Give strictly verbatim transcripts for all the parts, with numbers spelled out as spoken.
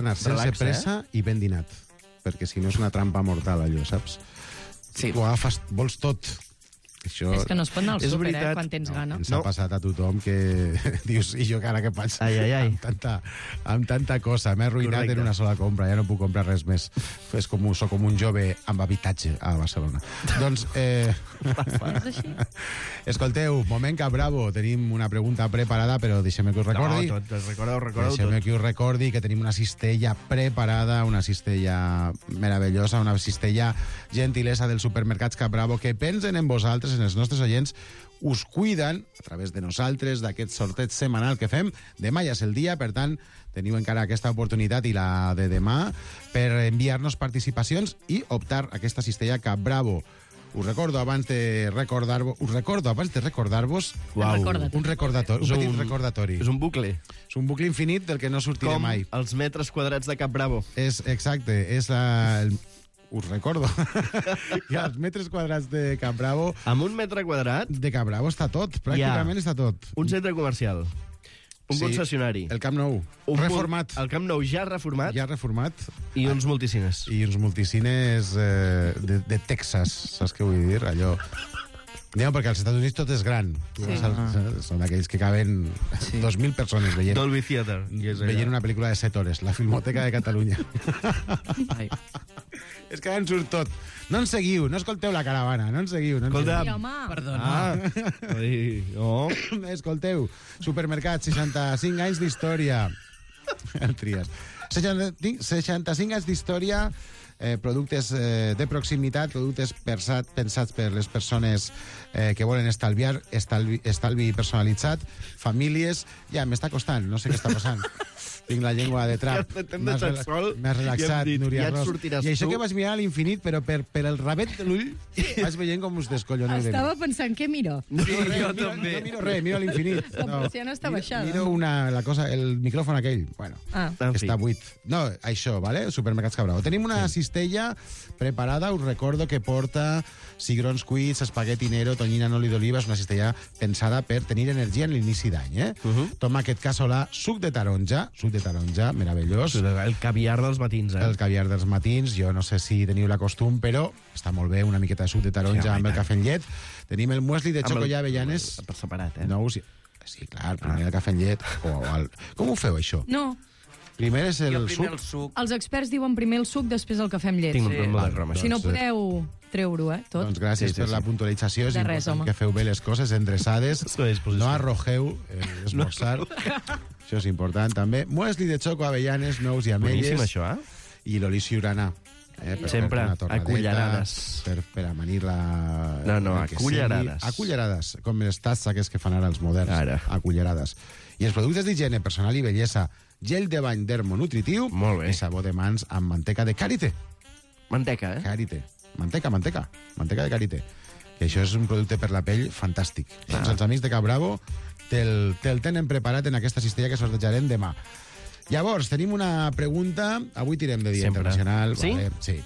anar sense Relaxa, pressa i ben dinat, perquè si no és una trampa mortal, allò, saps? Sí. Tu agafes, vols tot. Això... És que no es pot anar al És súper, eh, veritat. quan tens gana. Ens No. ha passat a tothom que dius, i jo ara què faig? Ai, ai, ai. Amb tanta, amb tanta cosa. M'he arruïnat Correcte. en una sola compra, ja no puc comprar res més. És com, un- soc com un jove amb habitatge a Barcelona. Doncs, eh... És així? escolteu, moment que bravo, tenim una pregunta preparada, però deixem que us recordi. No, tot, recordeu, recordeu Deixem tot. que us recordi que tenim una cistella preparada, una cistella meravellosa, una cistella gentilesa dels supermercats Cap Bravo, que pensen en vosaltres, en els nostres oients, us cuiden a través de nosaltres, d'aquest sorteig setmanal que fem. Demà ja és el dia, per tant, teniu encara aquesta oportunitat i la de demà per enviar-nos participacions i optar a aquesta cistella Cap Bravo. Us recordo abans de recordar-vos, us recordo abans de recordar-vos Uau. Recordatori. un recordatori, un És petit un- recordatori. És un bucle. És un bucle infinit del que no sortiré Com mai. els metres quadrats de Cap Bravo. És exacte, és la... El, us recordo. I als metres quadrats de Cap Bravo, Amb un metre quadrat, de Cap Bravo està tot, pràcticament està tot. un centre comercial, un Sí, concessionari, El Camp Nou, un reformat. El Camp Nou ja reformat Ja reformat. i uns multicines. I uns multicines eh, de, de Texas, saps què vull dir? Allò... Aneu, perquè als Estats Units tot és gran. Tu Sí. vas al, són aquells que caben Sí. dos mil persones veient, Dolby Theatre. I és allà. veient una pel·lícula de set hores, la Filmoteca de Catalunya. Ai. És que en surt tot. No ens seguiu, no escolteu la caravana, no ens seguiu. No ens Escolta, Sí, home. Perdona. Ah, ai, no. seguiu. Escolteu, Supermercat, seixanta-cinc anys d'història. El Trias. seixanta-cinc, seixanta-cinc anys d'història, eh, productes eh, de proximitat, productes pensat, pensats per les persones eh, que volen estalviar, estalvi, estalvi personalitzat, famílies... Ja, m'està costant, no sé què està passant. Tinc la llengua de trap. Ja t'hem M'has deixat rela- sol m'has i relaxat, hem dit, Núria ja et Ros. sortiràs I això tu. que vas mirar a l'infinit, però per, per el rabet de l'ull vas veient com us descolloneu de mi. Estava pensant, què miro? Sí, Res, jo miro, també. No miro res, miro a l'infinit. La persiana està Miro- baixada. Miro una, la cosa, el micròfon aquell. Bueno, Ah. En que fi. està buit. No, això, vale? Supermercats Cabrao. Tenim una cistella preparada, us recordo que porta cigrons cuits, espagueti nero, tonyina en oli d'oliva, és una cistella pensada per tenir energia en l'inici d'any, eh? Uh -huh. Tomàquet casolà, suc de taronja, suc de taronja, meravellós. El caviar dels matins, eh? El caviar dels matins, jo no sé si teniu la costum, però està molt bé, una miqueta de suc de taronja Sí, amb el home, i tant. cafè en llet. Tenim el muesli de Amb xoco el- i avellanes. Per separat, eh? No, sí, sí, clar, primer el cafè en llet. O el... Com ho feu, això? No, Primer és el Jo primer suc. el suc. els experts diuen primer el suc, després el cafè amb llet. Tinc un Sí. problema Val, de croma, Si no doncs, eh, podeu treure-ho, eh, tot. Doncs gràcies Sí, sí, per sí. la puntualització. És De res, important home. que feu bé les coses endreçades. Estic a disposició. No arrogeu eh, esmorzar. Això és important, també. Muesli de xoco, avellanes, nous i ametlles. Boníssim, això, eh? I l'oli ciurana. Eh, per Sempre, fer una torradeta, a cullerades. Per, per amanir la... No, no, el a que cullerades. sigui. A cullerades, com les tasses aquests que fan ara els moderns. Ara. A cullerades. I els productes d'higiene personal i bellesa, gel de bany dermonutritiu Molt bé. i sabó de mans amb manteca de karité. Manteca, eh? Karité. Manteca, manteca. Manteca de karité. Que això és un producte per la pell fantàstic. Ah. Doncs els amics de Cap Bravo te'l te tenen preparat en aquesta cistella que sortejarem demà. Llavors, tenim una pregunta. Avui tirem de Dia Sempre. Internacional. Sí? Vale, sí.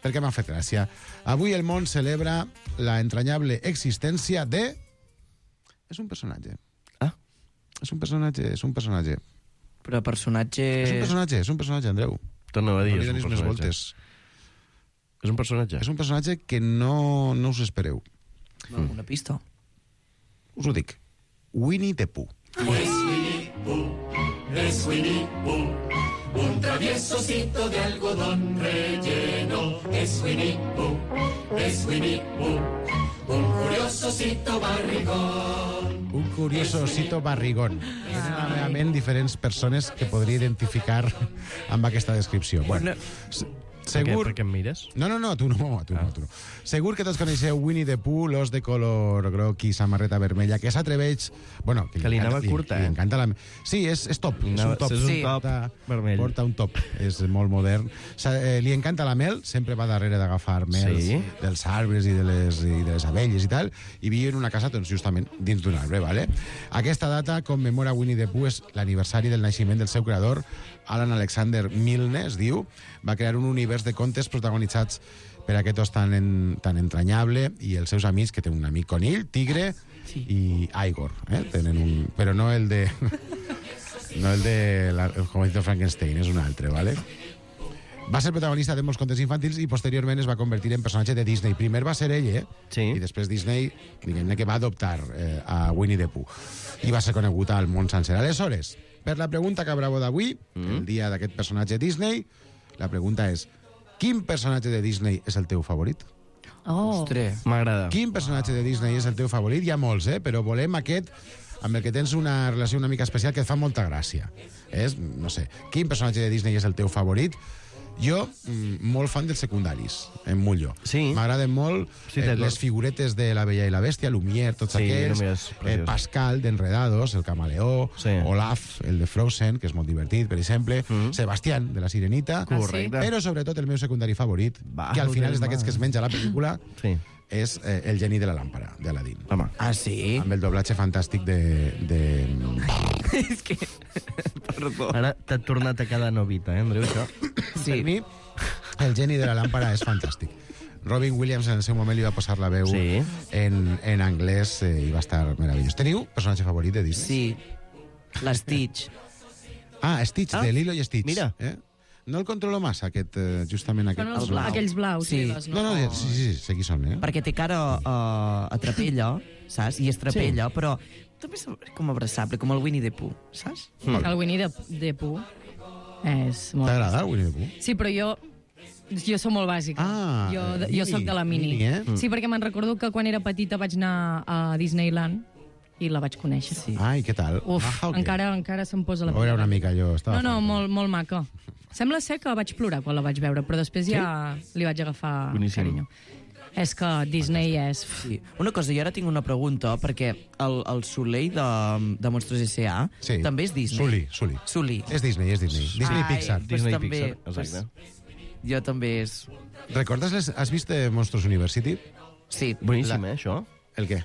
Perquè m'ha fet gràcia. Avui el món celebra la entranyable existència de... És un personatge. Ah, És un personatge, és un personatge. Però personatge... És un personatge, és un personatge, Andreu. torna a dir, No li és un donis més personatge. voltes. És un personatge. És un personatge que no, no us espereu. Una pista. Us ho dic. Winnie the Pooh. Es Winnie Pooh, un traviesocito de algodón relleno. Es Winnie Pooh, es Winnie Pooh, un curiosocito barrigón. Un curioso osito barrigón. Tenen a la meva ment diferents persones que podria identificar amb aquesta descripció. Bueno, s- segur... Per què em mires? No, no, no, tu no, tu no, tu no. Segur que tots coneixeu Winnie the Pooh, l'os de color groc i samarreta vermella, que s'atreveix... Bueno, Que li anava curta, li, eh? li encanta la... Sí, és, és top, és un top. És un Sí. top Porta- vermell. Porta un top, és molt modern. Sa, eh, li encanta la mel, sempre va darrere d'agafar mel Sí. dels arbres i de, les, i de les abelles i tal, i viu en una casa, doncs, justament dins d'un arbre, vale? Aquesta data commemora Winnie the Pooh, és l'aniversari del naixement del seu creador, Alan Alexander Milne, es diu. Va crear un univers de contes protagonitzats per aquest os tan, en, tan entranyable i els seus amics, que té un amic conill, tigre sí. i Igor. Eh? Tenen un... Però no el de... No el de la, el jovencito Frankenstein, és un altre, ¿vale? Va ser protagonista de molts contes infantils i posteriorment es va convertir en personatge de Disney. Primer va ser ell, eh? Sí. I després Disney, diguem-ne que va adoptar eh, a Winnie the Pooh. I va ser conegut al món sencer. Aleshores, per la pregunta que bravo d'avui, mm. el dia d'aquest personatge Disney, la pregunta és: quin personatge de Disney és el teu favorit? Oh. Ostres. M'agrada. Quin personatge de Disney és el teu favorit? Hi ha molts, eh? Però volem aquest amb el que tens una relació una mica especial que et fa molta gràcia. És, no sé, quin personatge de Disney és el teu favorit? Jo, mm, molt fan dels secundaris, em mullo. Sí. M'agraden molt Sí, eh, d'acord. les figuretes de La Bella i la Bèstia, Lumière, tots Sí, aquells, Lumière és eh, preciós. Pascal, d'Enredados, el camaleó, Sí. Olaf, el de Frozen, que és molt divertit, per exemple, Mm. Sebastián, de la Sirenita, Correcte. però sobretot el meu secundari favorit, Va, que al final del és d'aquests mar. que es menja la pel·lícula, Sí. és eh, el geni de la làmpara, d'Aladín. Home. Ah, sí? Amb el doblatge fantàstic de... de... És que... Perdó. Ara t'ha tornat a quedar novita, eh, Andreu, això? Sí. Per mi, el geni de la làmpara és fantàstic. Robin Williams en el seu moment li va posar la veu Sí. en, en anglès eh, i va estar meravellós. Teniu personatge favorit de Disney? Sí. L'Stitch. Ah, Stitch, Ah, de Lilo i Stitch. mira. Eh? No el controlo massa, aquest, eh, justament aquest. Són els, El blau. aquells blaus. Sí. liles, No, no, sí, sí, sí, aquí són, eh? Perquè té cara uh, a trapella, saps? I és trapella, sí. Però també és com abraçable, com el Winnie the Pooh, saps? El Winnie de, de Pooh és molt... T'agrada el Winnie the Pooh? Sí, però jo... Jo sóc molt bàsica. Ah, jo, eh, jo mini, sóc de la mini. mini, eh? Sí, perquè me'n recordo que quan era petita vaig anar a Disneyland i la vaig conèixer. Sí. Ai, què tal? Uf, Ah, ok. encara, encara se'm posa la Ho era una mica jo. Estava No, no, fort. molt, molt maca. Sembla ser que vaig plorar quan la vaig veure, però després ja li vaig agafar Boníssim. carinyo. És que Disney és... Sí. Una cosa, jo ara tinc una pregunta, perquè el, el Soleil de, de Monstros S A Sí. també és Disney. Sully, Sully. Sully. És Disney, és Disney. Disney Ai, Pixar. pues Disney també, Pixar, exacte. Pues, jo també és... Recordes les... Has vist eh, Monsters University? Sí. Boníssim, La- eh, això? El què?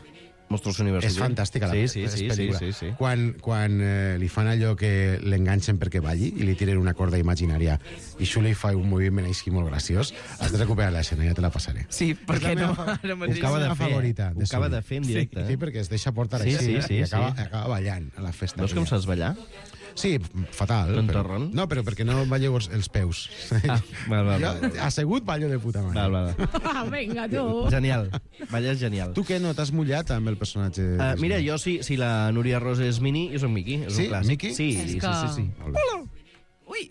Monstros University. És fantàstica la sí, sí, és sí, sí, pel·lícula. sí, sí. Quan, quan eh, li fan allò que l'enganxen perquè balli i li tiren una corda imaginària i Sully fa un moviment així molt graciós, has de recuperar l'escena, ja te la passaré. Sí, perquè És la no... meva fa- Ara Ho mateix... acaba de de fer, fer, favorita. ho de acaba Sully. de fer en directe, Sí, eh? perquè es deixa portar Sí, així sí, sí, i acaba, sí. acaba ballant a la festa. Veus com aquella. saps ballar? Sí, fatal. T'en però- torren? No, però perquè no balleu els, els peus. Ah, val, val, Jo, val. assegut ballo de puta mare. Val, val. Ah, vinga, tu! Genial. Balles genial. Tu què, no t'has mullat amb el personatge? Uh, Disney? mira, jo si, si la Núria Rosa és Mini, jo soc Mickey. És Sí? un clàssic. Mickey? Sí, És sí, que- sí, sí. Molt bé. Ui!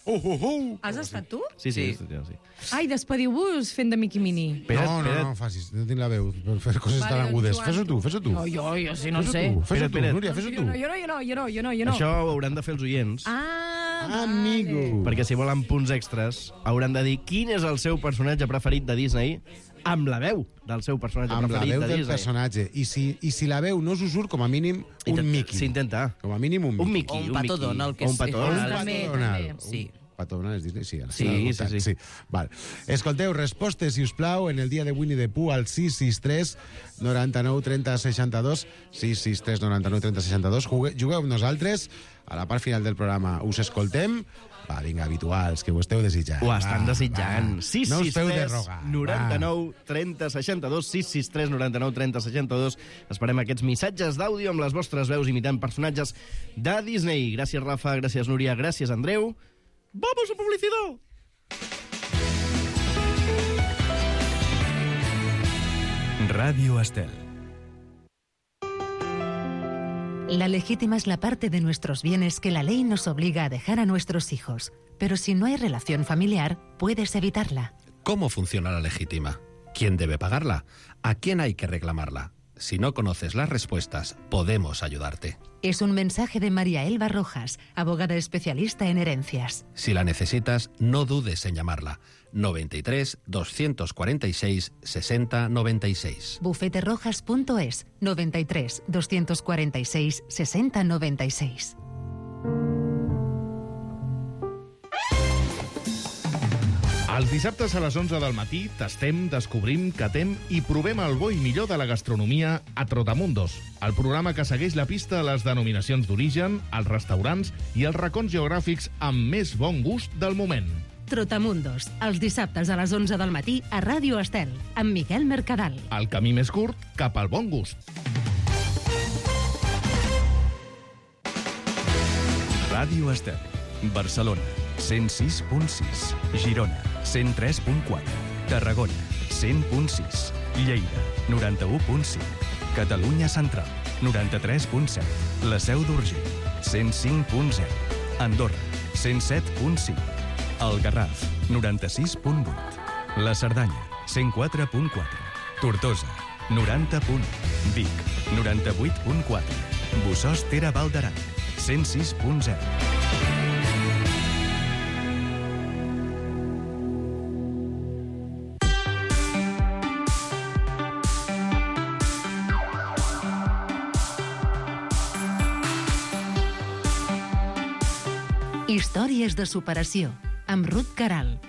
Uh, uh, uh. Has estat tu? Sí, sí, Sí. sí, sí. Ai, despediu-vos fent de Mickey Mini. Espera't, no, no, espera't. no, facis, no tinc la veu per fer coses Vale, tan doncs, agudes. Joan, Fes-ho tu, fes-ho tu. No, jo, jo sí, no Fes-ho sé. tu, fes-ho Espera't, tu, espera't. Núria, fes-ho Jo tu. no, jo no, jo no, jo no, jo no, jo no. Això ho hauran de fer els oients. Ah, Amigo. vale. Perquè si volen punts extras, hauran de dir quin és el seu personatge preferit de Disney amb la veu del seu personatge Amb la preferit veu de del Disney. personatge. I si, I si la veu no us ho surt, com a mínim, un Intenta- Mickey. S'intenta. Com a mínim un Mickey. Un Mickey. O un un Pato Mickey. Donald, que O un és- Pato és- Donald. També, Donald. també. Sí. Pato Donald és Disney, sí. ara Sí, s'ha sí, notat, sí. sí. Val. Escolteu, respostes, si us plau, en el dia de Winnie the Pooh al sis sis tres noranta-nou trenta seixanta-dos, sis sis tres noranta-nou trenta seixanta-dos. Jugue- Jugueu amb nosaltres. A la part final del programa us escoltem. Va, vinga, habituals, que ho esteu desitjant. Ho estan Va, desitjant. va. sis No us sis feu de tres rogar. noranta-nou trenta seixanta-dos, sis sis tres noranta-nou trenta seixanta-dos. Esperem aquests missatges d'àudio amb les vostres veus imitant personatges de Disney. Gràcies, Rafa, gràcies, Núria, gràcies, Andreu. ¡Vamos a publicidad! Radio Estel. La legítima es la parte de nuestros bienes que la ley nos obliga a dejar a nuestros hijos. Pero si no hay relación familiar, puedes evitarla. ¿Cómo funciona la legítima? ¿Quién debe pagarla? ¿A quién hay que reclamarla? Si no conoces las respuestas, podemos ayudarte. Es un mensaje de María Elba Rojas, abogada especialista en herencias. Si la necesitas, no dudes en llamarla. noventa y tres, doscientos cuarenta y seis, sesenta noventa y seis. bufeterojas punto es, noventa y tres, doscientos cuarenta y seis, sesenta noventa y seis. Els dissabtes a les onze del matí tastem, descobrim, catem i provem el bo i millor de la gastronomia a Trotamundos, el programa que segueix la pista a les denominacions d'origen, els restaurants i els racons geogràfics amb més bon gust del moment. Trotamundos, els dissabtes a les onze del matí a Ràdio Estel, amb Miquel Mercadal. El camí més curt cap al bon gust. Ràdio Estel. Barcelona, cent sis punt sis. Girona, cent tres punt quatre. Tarragona, cent punt sis. Lleida, noranta-u punt cinc. Catalunya Central, noranta-tres punt set. La Seu d'Urgell, cent cinc punt zero. Andorra, cent set punt cinc. El Garraf, noranta-sis punt vuit. La Cerdanya, cent quatre punt quatre. Tortosa, noranta punt u. Vic, noranta-vuit punt quatre. Bossòst-Tere Val d'Aran, cent sis punt zero. Històries de superació, amb Ruth Caral.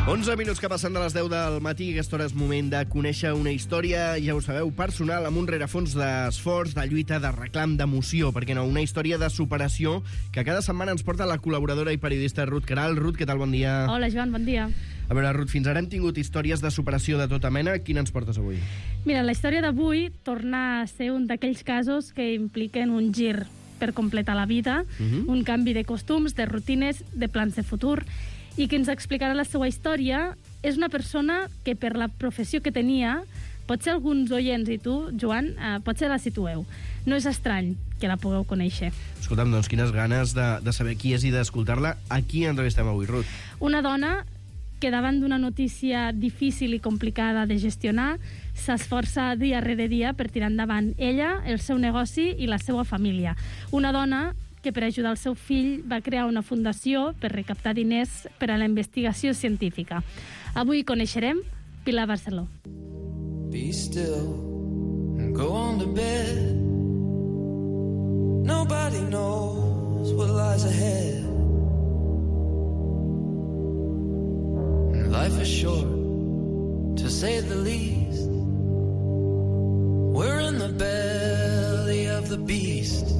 onze minuts que passen de les deu del matí, aquesta hora és moment de conèixer una història, ja ho sabeu, personal, amb un rerefons d'esforç, de lluita, de reclam, d'emoció, perquè no, una història de superació que cada setmana ens porta la col·laboradora i periodista Ruth Caral. Ruth, què tal? Bon dia. Hola, Joan, bon dia. A veure, Ruth, fins ara hem tingut històries de superació de tota mena. Quina ens portes avui? Mira, la història d'avui torna a ser un d'aquells casos que impliquen un gir per completar la vida, uh-huh. un canvi de costums, de rutines, de plans de futur, i que ens explicarà la seva història és una persona que per la professió que tenia, potser alguns oients i tu, Joan, eh, potser la situeu. No és estrany que la pugueu conèixer. Escolta'm, doncs quines ganes de, de saber qui és i d'escoltar-la. A qui entrevistem avui, Ruth? Una dona que davant d'una notícia difícil i complicada de gestionar s'esforça dia rere dia per tirar endavant ella, el seu negoci i la seva família. Una dona que per ajudar el seu fill va crear una fundació per recaptar diners per a la investigació científica. Avui coneixerem Pilar Barceló. Be still and go on to bed. Nobody knows what lies ahead. Life is short, to say the least. We're in the belly of the beast.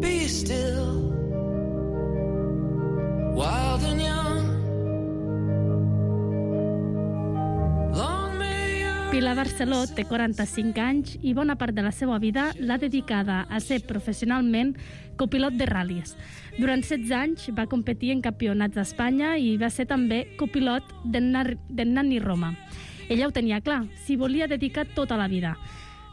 Be still, wild and young. Long may your... Pilar Barceló té quaranta-cinc anys i bona part de la seva vida l'ha dedicada a ser professionalment copilot de ral·lis. Durant setze anys va competir en campionats d'Espanya i va ser també copilot del Nani Roma. Ella ho tenia clar, s'hi volia dedicar tota la vida.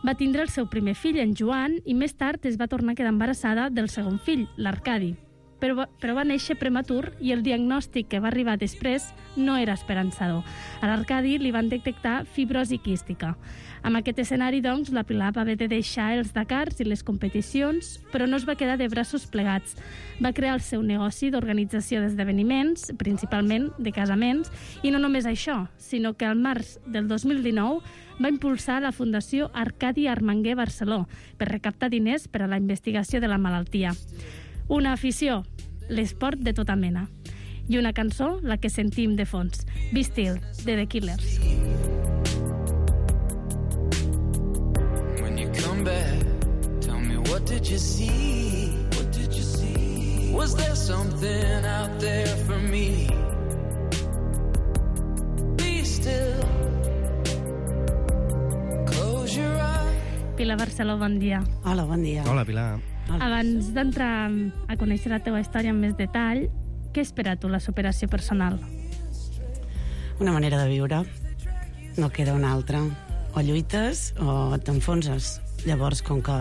Va tindre el seu primer fill, en Joan, i més tard es va tornar a quedar embarassada del segon fill, l'Arcadi. Però, però va néixer prematur i el diagnòstic que va arribar després no era esperançador. A l'Arcadi li van detectar fibrosi quística. Amb aquest escenari, doncs, la Pilar va haver de deixar els Dakars i les competicions, però no es va quedar de braços plegats. Va crear el seu negoci d'organització d'esdeveniments, principalment de casaments, i no només això, sinó que al març del dos mil dinou va impulsar la Fundació Arcadi Armanguer Barceló per recaptar diners per a la investigació de la malaltia. Una afició, l'esport de tota mena. I una cançó, la que sentim de fons, Be Still, de The Killers. When you come back, tell me what did you see? What did you see? Was there something out there for me? Be still. Close your eyes. Pilar Barceló, bon dia. Hola, bon dia. Hola, Pilar. Abans d'entrar a conèixer la teva història amb més detall, què espera tu la superació personal? Una manera de viure. No queda una altra. O lluites o t'enfonses. Llavors, com que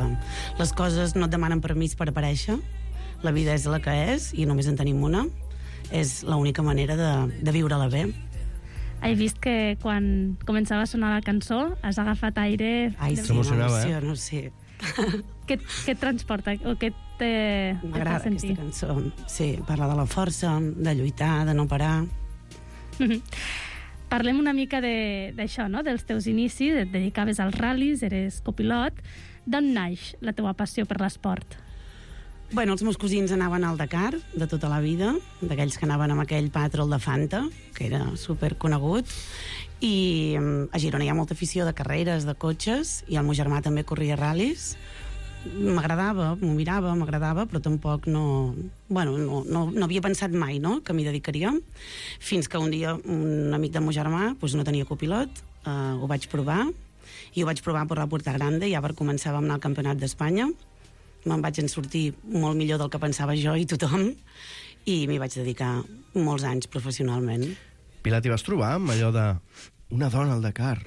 les coses no et demanen permís per aparèixer, la vida és la que és i només en tenim una, és l'única manera de, de viure-la bé. He vist que quan començava a sonar la cançó has agafat aire... Ai, sí, m'emociono, sí. Què, què et transporta o què te, m'agrada aquesta cançó. Sí, parla de la força, de lluitar, de no parar. Parlem una mica d'això, no? Dels teus inicis, et dedicaves als ral·lis, eres copilot. D'on naix la teua passió per l'esport? Bueno, els meus cosins anaven al Dakar de tota la vida, d'aquells que anaven amb aquell patrol de Fanta, que era superconegut, i a Girona hi ha molta afició de carreres, de cotxes, i el meu germà també corria ral·lis. M'agradava, m'ho mirava, m'agradava, però tampoc no... Bueno, no, no, no havia pensat mai, no?, que m'hi dedicaria, fins que un dia un amic del meu germà doncs no tenia copilot, eh, ho vaig provar, I ho vaig provar per la Puerta Grande, ja per començar vam anar al Campionat d'Espanya. Me'n vaig en sortir molt millor del que pensava jo i tothom, i m'hi vaig dedicar molts anys professionalment. Pilar, t'hi vas trobar amb allò de una dona al Dakar?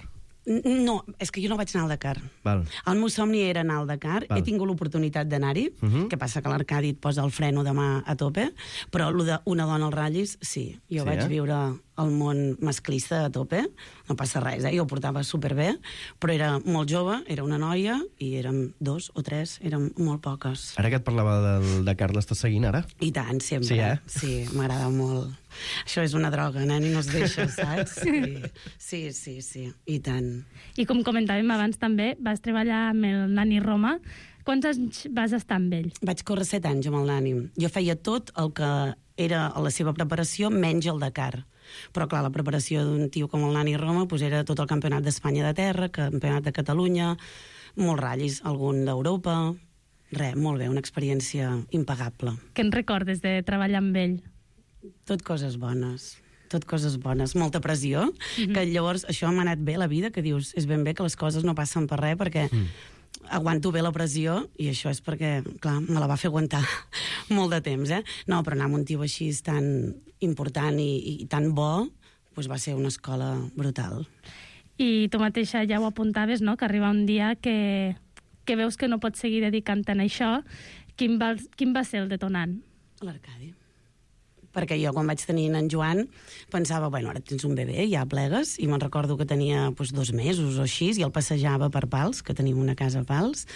No, és que jo no vaig anar al Dakar. Val. El meu somni era anar al Dakar. Val. He tingut l'oportunitat d'anar-hi, uh -huh. que passa que l'Arcadi et posa el freno de mà a tope, però el d'una dona als ratllis, sí. Jo Sí, vaig eh? viure el món masclista a tope, no passa res, eh? Jo ho portava superbé, però era molt jove, era una noia, i érem dos o tres, érem molt poques. Ara que et parlava del Dakar, l'estàs seguint ara? I tant, sempre. Sí, eh? Sí, m'agrada molt. Això és una droga, nen, i no es deixa, saps? Sí, sí, sí, sí, i tant. I com comentàvem abans també, vas treballar amb el Nani Roma. Quants anys vas estar amb ell? Vaig córrer set anys amb el Nani. Jo feia tot el que era la seva preparació, menys el Dakar. Però, clar, la preparació d'un tio com el Nani Roma pues, era tot el campionat d'Espanya de terra, campionat de Catalunya, molts ratllis, algun d'Europa... Res, molt bé, una experiència impagable. Què en recordes de treballar amb ell? Tot coses bones. Tot coses bones, molta pressió, mm-hmm. que llavors això m'ha anat bé a la vida, que dius, és ben bé que les coses no passen per res, perquè mm. aguanto bé la pressió, i això és perquè, clar, me la va fer aguantar molt de temps, eh? No, però anar amb un tio així tan important i, i tan bo, doncs va ser una escola brutal. I tu mateixa ja ho apuntaves, no?, que arriba un dia que, que veus que no pots seguir dedicant-te a això. Quin va, quin va ser el detonant? L'Arcadi. Perquè jo, quan vaig tenir en Joan, pensava, bueno, ara tens un bebè, ja plegues, i me'n recordo que tenia doncs, dos mesos o així, i el passejava per Pals, que tenim una casa a Pals,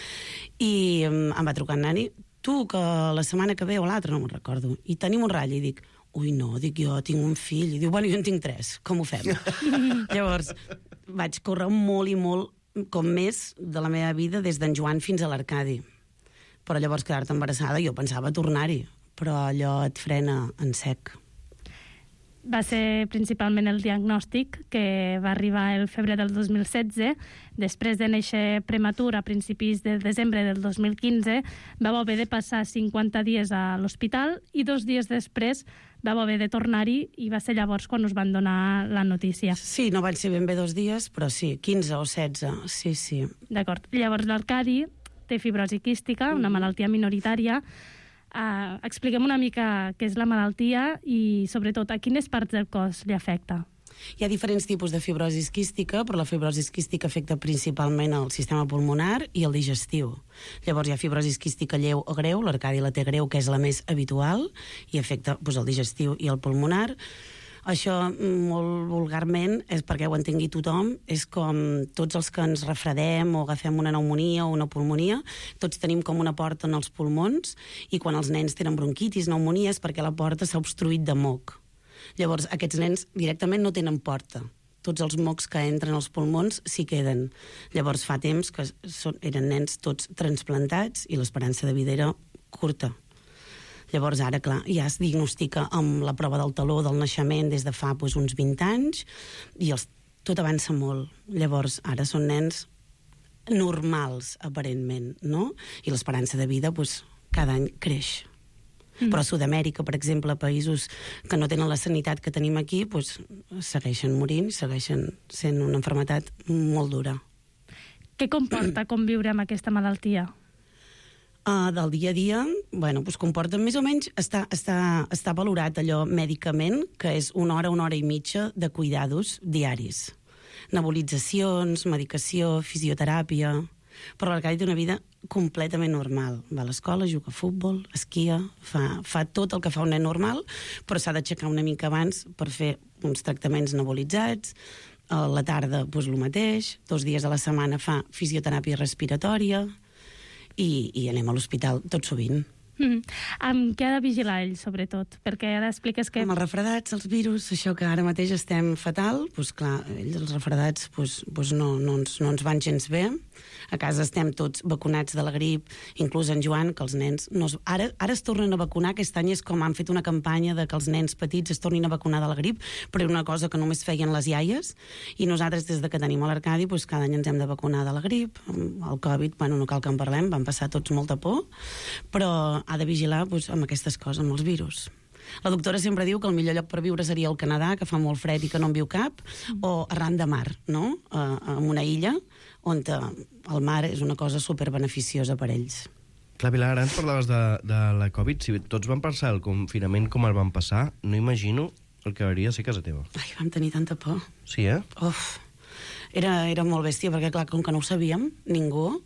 i em va trucar en Nani, tu, que la setmana que ve o l'altra, no me'n recordo, i tenim un ratll, i dic, ui, no, dic jo, tinc un fill, i diu, bueno, jo en tinc tres, com ho fem? Llavors, vaig córrer molt i molt, com més de la meva vida, des d'en Joan fins a l'Arcadi. Però llavors quedar-te embarassada, jo pensava tornar-hi, però allò et frena en sec. Va ser principalment el diagnòstic que va arribar el febrer del dos mil setze. Després de néixer prematur a principis de desembre del dos mil quinze, vau haver de passar cinquanta dies a l'hospital i dos dies després vau haver de tornar-hi, i va ser llavors quan us van donar la notícia. Sí, no van ser ben bé dos dies, però sí, quinze o setze, sí, sí. D'acord. Llavors l'Arcadi té fibrosi quística, una malaltia minoritària. Uh, expliquem una mica què és la malaltia i, sobretot, a quines parts del cos li afecta. Hi ha diferents tipus de fibrosi quística, però la fibrosi quística afecta principalment el sistema pulmonar i el digestiu. Llavors hi ha fibrosi quística lleu o greu, l'Arcadi la té greu, que és la més habitual, i afecta doncs, el digestiu i el pulmonar. Això, molt vulgarment, és perquè ho entengui tothom, és com tots els que ens refredem o agafem una pneumonia o una pulmonia, tots tenim com una porta en els pulmons, i quan els nens tenen bronquitis, pneumonia, és perquè la porta s'ha obstruït de moc. Llavors, aquests nens directament no tenen porta. Tots els mocs que entren als pulmons s'hi queden. Llavors, fa temps que són, eren nens tots transplantats i l'esperança de vida era curta. Llavors, ara, clar, ja es diagnostica amb la prova del taló del naixement des de fa doncs, uns vint anys, i els, tot avança molt. Llavors, ara són nens normals, aparentment, no? I l'esperança de vida doncs, cada any creix. Mm. Però a Sud-amèrica, per exemple, països que no tenen la sanitat que tenim aquí, doncs, segueixen morint, segueixen sent una malaltia molt dura. Què comporta conviure amb aquesta malaltia? Uh, del dia a dia, bueno, doncs comporta més o menys, està, està, està valorat allò mèdicament, que és una hora, una hora i mitja de cuidados diaris. Nebulitzacions, medicació, fisioteràpia... Però l'Arcadi té una vida completament normal. Va a l'escola, juga a futbol, esquia, fa, fa tot el que fa un nen normal, però s'ha d'aixecar una mica abans per fer uns tractaments nebulitzats. A la tarda, doncs, el mateix. Dos dies a la setmana fa fisioteràpia respiratòria, i, i anem a l'hospital tot sovint. Mm. Amb què ha de vigilar ell, sobretot? Perquè ara expliques que... Amb els refredats, els virus, això que ara mateix estem fatal, doncs clar, ells, els refredats, doncs, doncs no, no, ens, no ens van gens bé. A casa estem tots vacunats de la grip, inclús en Joan, que els nens... No es, ara, ara es tornen a vacunar, aquest any és com han fet una campanya de que els nens petits es tornin a vacunar de la grip, però era una cosa que només feien les iaies, i nosaltres, des de que tenim a l'Arcadi, doncs cada any ens hem de vacunar de la grip. El Covid, bueno, no cal que en parlem, van passar tots molta por, però ha de vigilar doncs, amb aquestes coses, amb els virus. La doctora sempre diu que el millor lloc per viure seria el Canadà, que fa molt fred i que no en viu cap, o arran de mar, no? Uh, en una illa on el mar és una cosa superbeneficiosa per ells. Clar, Pilar, ara ens parlaves de, de la Covid. Si tots van passar el confinament com el van passar, no imagino el que hauria de ser casa teva. Ai, vam tenir tanta por. Sí, eh? Uf, era, era molt bèstia, perquè clar, com que no ho sabíem, ningú...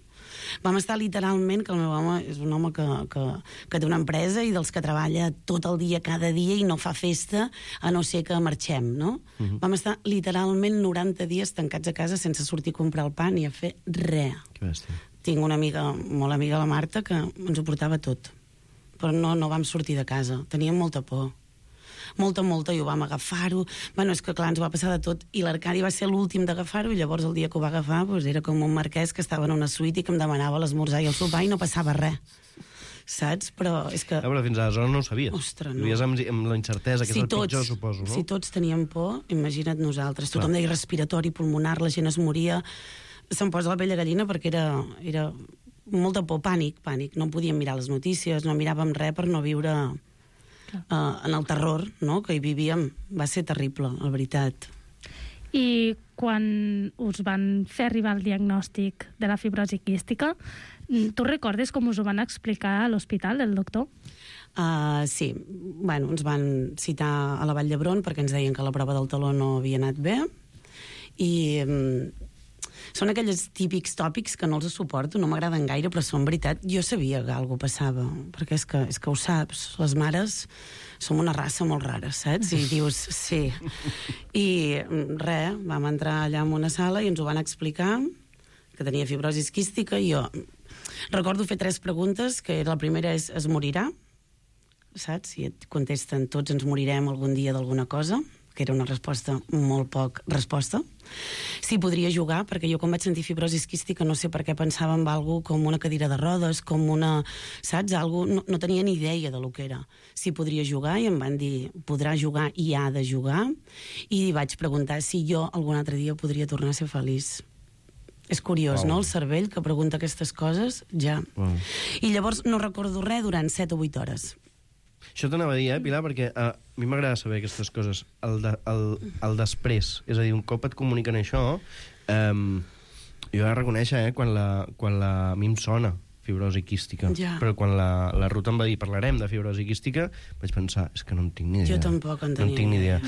Vam estar literalment, que el meu home és un home que, que, que té una empresa i dels que treballa tot el dia, cada dia, i no fa festa, a no ser que marxem, no? Uh-huh. Vam estar literalment noranta dies tancats a casa sense sortir a comprar el pa ni a fer res. Que bèstia. Tinc una amiga, molt amiga, la Marta, que ens ho portava tot. Però no, no vam sortir de casa. Teníem molta por. Molta, molta, i ho vam agafar-ho. Bueno, és que clar, ens va passar de tot. I l'Arcadi va ser l'últim d'agafar-ho, i llavors el dia que ho va agafar doncs, era com un marquès que estava en una suite i que em demanava l'esmorzar i el sopar i no passava res. Saps? Però és que... Ah, però fins aleshores no ho sabies. Ostres, no. Vivies amb, amb la incertesa, que si és el tots, pitjor, suposo, no? Si tots teníem por, imagina't nosaltres. Clar. Tothom deia respiratori, pulmonar, la gent es moria. Se'm posa la pell de gallina perquè era, era molta por, pànic, pànic. No podíem mirar les notícies, no miràvem res per no viure uh, en el terror, no?, que hi vivíem. Va ser terrible, la veritat. I quan us van fer arribar el diagnòstic de la fibrosi quística, tu recordes com us ho van explicar a l'hospital, el doctor? Uh, sí, bueno, ens van citar a la Vall d'Hebron perquè ens deien que la prova del taló no havia anat bé, i um, són aquells típics tòpics que no els suporto, no m'agraden gaire, però són veritat. Jo sabia que alguna cosa passava, perquè és que, és que ho saps, les mares som una raça molt rara, saps? I dius, sí. I res, vam entrar allà en una sala i ens ho van explicar, que tenia fibrosi quística, i jo recordo fer tres preguntes, que la primera és, es morirà? Saps? I et contesten, tots ens morirem algun dia d'alguna cosa, que era una resposta molt poc resposta. Si podria jugar, perquè jo quan vaig sentir fibrosi quística no sé per què pensava en algo com una cadira de rodes, com una... saps? Algo, no, no tenia ni idea de lo que era. Si podria jugar, i em van dir, podrà jugar i ha de jugar, i vaig preguntar si jo algun altre dia podria tornar a ser feliç. És curiós, wow. No? El cervell que pregunta aquestes coses, ja. Wow. I llavors no recordo res durant set o vuit hores. Això t'anava a dir, eh, Pilar, perquè uh, a mi m'agrada saber aquestes coses. El, de, el, el després, és a dir, un cop et comuniquen això, um, jo he de reconèixer, eh, quan la, quan la, a mi em sona fibrosi quística, ja. Però quan la, la Ruth em va dir parlarem de fibrosi quística, vaig pensar, és que no en tinc ni idea. Jo tampoc en tenia. No en tinc ni idea.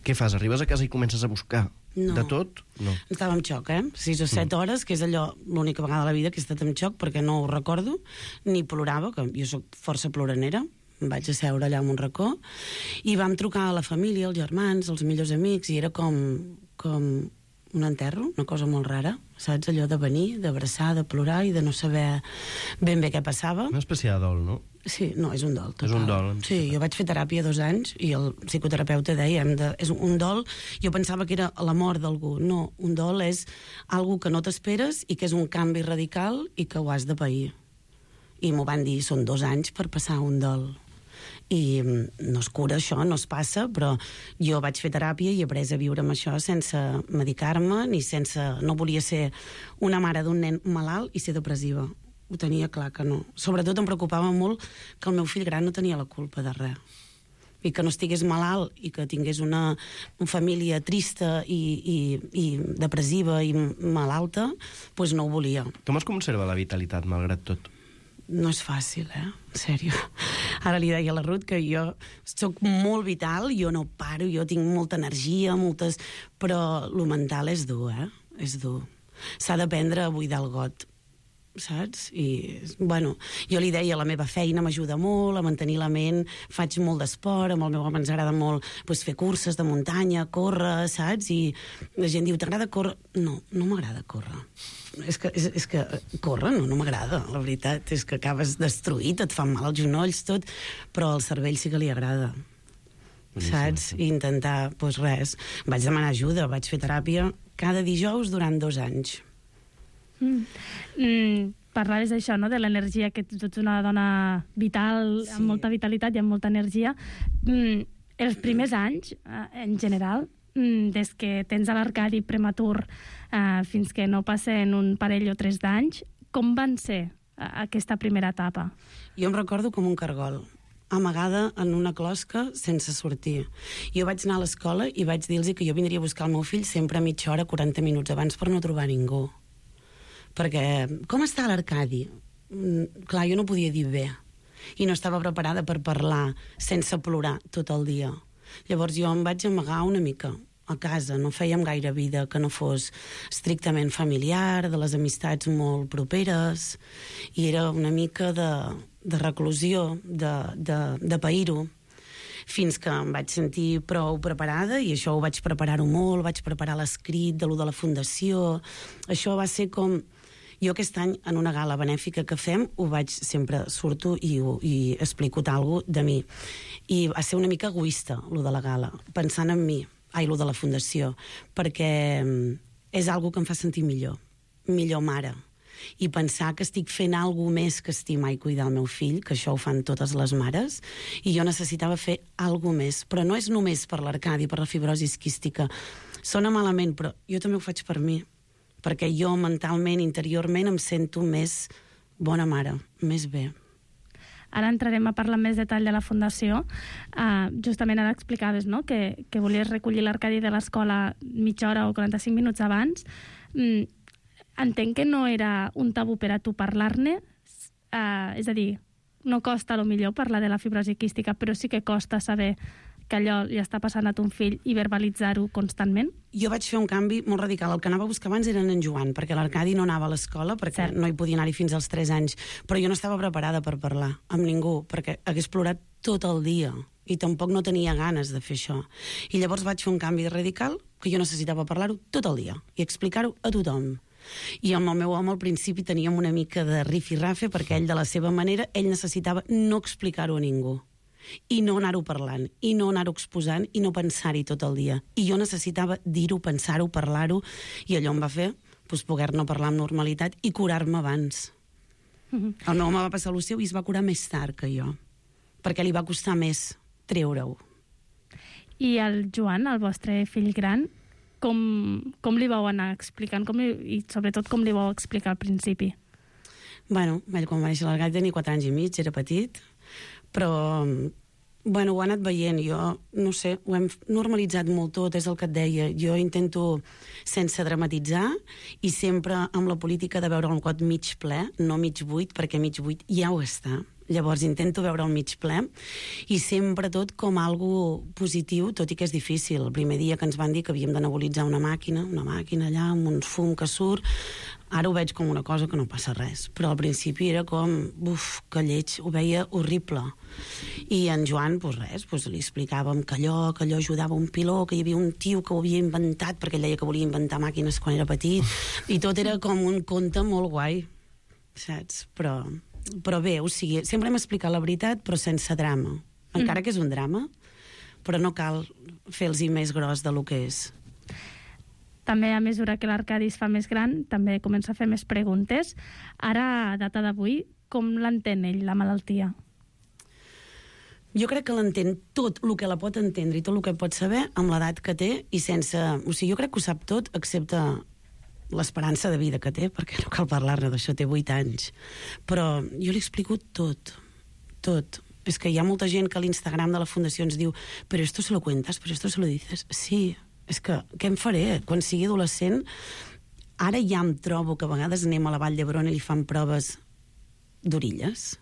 Què fas? Arribes a casa i comences a buscar no. de tot? No. Estava en xoc, eh? Sis o set mm. hores, que és allò, l'única vegada a la vida que he estat en xoc, perquè no ho recordo, ni plorava, que jo sóc força ploranera. Em vaig asseure allà en un racó i vam trucar a la família, els germans, els millors amics, i era com, com un enterro, una cosa molt rara, saps? Allò de venir, d'abraçar, de plorar i de no saber ben bé què passava. Una espècie de dol, no? Sí, no, és un dol total. És un dol. Sí, jo vaig fer teràpia dos anys i el psicoterapeuta deia, hem de, és un dol, jo pensava que era la mort d'algú. No, un dol és algo que no t'esperes i que és un canvi radical i que ho has de pair. I m'ho van dir, són dos anys per passar un dol. I no es cura això, no es passa, però jo vaig fer teràpia i he après a viure amb això sense medicar-me, ni sense... No volia ser una mare d'un nen malalt i ser depressiva. Ho tenia clar que no. Sobretot em preocupava molt que el meu fill gran no tenia la culpa de res. I que no estigués malalt i que tingués una, una família trista i, i, i depressiva i malalta, doncs no ho volia. Com es conserva la vitalitat, malgrat tot? No és fàcil, eh? En sèrio. Ara li deia a la Ruth que jo soc molt vital, jo no paro, jo tinc molta energia, moltes... però lo mental és dur, eh? És dur. S'ha d'aprendre a buidar el got, saps? I, bueno, jo li deia, la meva feina m'ajuda molt a mantenir la ment, faig molt d'esport, amb el meu home ens agrada molt pues, fer curses de muntanya, córrer, saps? I la gent diu, t'agrada córrer? No, no m'agrada córrer. És que, és, és que córrer no, no m'agrada, la veritat. És que acabes destruït, et fan mal els genolls, tot, però al cervell sí que li agrada. Saps? I intentar, doncs res. Vaig demanar ajuda, vaig fer teràpia cada dijous durant dos anys. Mm. Mm, parlaves d'això, no?, de l'energia, que tu ets una dona vital, sí. Amb molta vitalitat i amb molta energia. Mm, els primers anys, en general, des que tens a l'Arcadi prematur eh, fins que no passen un parell o tres d'anys, com van ser aquesta primera etapa? Jo em recordo com un cargol. amagada en una closca sense sortir. Jo vaig anar a l'escola i vaig dir-los que jo vindria a buscar el meu fill sempre a mitja hora, quaranta minuts abans, per no trobar ningú. Perquè, com està l'Arcadi? Mm, clar, jo no podia dir bé. I no estava preparada per parlar sense plorar tot el dia. Llavors jo em vaig amagar una mica a casa, no fèiem gaire vida que no fos estrictament familiar, de les amistats molt properes, i era una mica de, de reclusió, de, de, de pair-ho, fins que em vaig sentir prou preparada, i això ho vaig preparar-ho molt, vaig preparar l'escrit de lo de la fundació. Això va ser com... Jo aquest any, en una gala benèfica que fem, ho vaig sempre, surto i, i explico alguna cosa de mi. I va ser una mica egoista, lo de la gala, pensant en mi, ai, lo de la fundació, perquè és algo que em fa sentir millor, millor mare. I pensar que estic fent alguna més que estimar i cuidar el meu fill, que això ho fan totes les mares, i jo necessitava fer alguna més. Però no és només per l'Arcadi, per la fibrosi quística. Sona malament, però jo també ho faig per mi, perquè jo mentalment, interiorment, em sento més bona mare, més bé. Ara entrarem a parlar més detall de la Fundació. Uh, justament ara explicaves, no?, que, que volies recollir l'Arcadi de l'escola mitja hora o quaranta-cinc minuts abans. Mm, entenc que no era un tabú per a tu parlar-ne, uh, és a dir, no costa a lo millor parlar de la fibrosi quística, però sí que costa saber que allò li està passant a ton fill i verbalitzar-ho constantment? Jo vaig fer un canvi molt radical. El que anava a buscar abans era en Joan, perquè l'Arcadi no anava a l'escola, perquè Cert. no hi podia anar-hi fins als tres anys. Però jo no estava preparada per parlar amb ningú, perquè hagués plorat tot el dia i tampoc no tenia ganes de fer això. I llavors vaig fer un canvi radical, que jo necessitava parlar-ho tot el dia i explicar-ho a tothom. I amb el meu home al principi teníem una mica de rifirrafe, perquè ell, de la seva manera, ell necessitava no explicar-ho a ningú. I no anar-ho parlant, i no anar-ho exposant, i no pensar-hi tot el dia. I jo necessitava dir-ho, pensar-ho, parlar-ho, i allò em va fer doncs, poder-ne parlar amb normalitat i curar-me abans. Mm-hmm. El meu home va passar el seu i es va curar més tard que jo, perquè li va costar més treure-ho. I el Joan, el vostre fill gran, com, com li vau anar explicant, com li, i sobretot com li vau explicar al principi? Bueno, quan va néixer l'Arcadi tenia quatre anys i mig, era petit, però bueno, ho ha anat veient. Jo, no sé, ho hem normalitzat molt tot, és el que et deia. Jo intento, sense dramatitzar, i sempre amb la política de veure el got mig ple, no mig buit, perquè mig buit ja ho està. Llavors intento veure el mig ple, i sempre tot com algo positiu, tot i que és difícil. El primer dia que ens van dir que havíem de nebulitzar una màquina, una màquina allà, amb un fum que surt, ara ho veig com una cosa que no passa res, però al principi era com, uf, que lleig, ho veia horrible. I en Joan, doncs res, doncs li explicàvem que allò, que allò ajudava un piló, que hi havia un tio que ho havia inventat, perquè ell deia que volia inventar màquines quan era petit, i tot era com un conte molt guai, saps? Però, però bé, o sigui, sempre hem explicat la veritat, però sense drama. Encara que és un drama, però no cal fer-los més gros de lo que és. També, a mesura que l'Arcadi es fa més gran, també comença a fer més preguntes. Ara, a data d'avui, com l'entén ell, la malaltia? Jo crec que l'entén tot el que la pot entendre i tot el que pot saber amb l'edat que té i sense... O sigui, jo crec que ho sap tot, excepte l'esperança de vida que té, perquè no cal parlar-ne d'això, té vuit anys. Però jo li explico tot, tot. És que hi ha molta gent que a l'Instagram de la Fundació ens diu «Però esto se lo cuentas? ¿Pero esto se lo dices?» Sí, és que què em faré? Quan sigui adolescent, ara ja em trobo que a vegades anem a la Vall d'Hebron i li fan proves d'orilles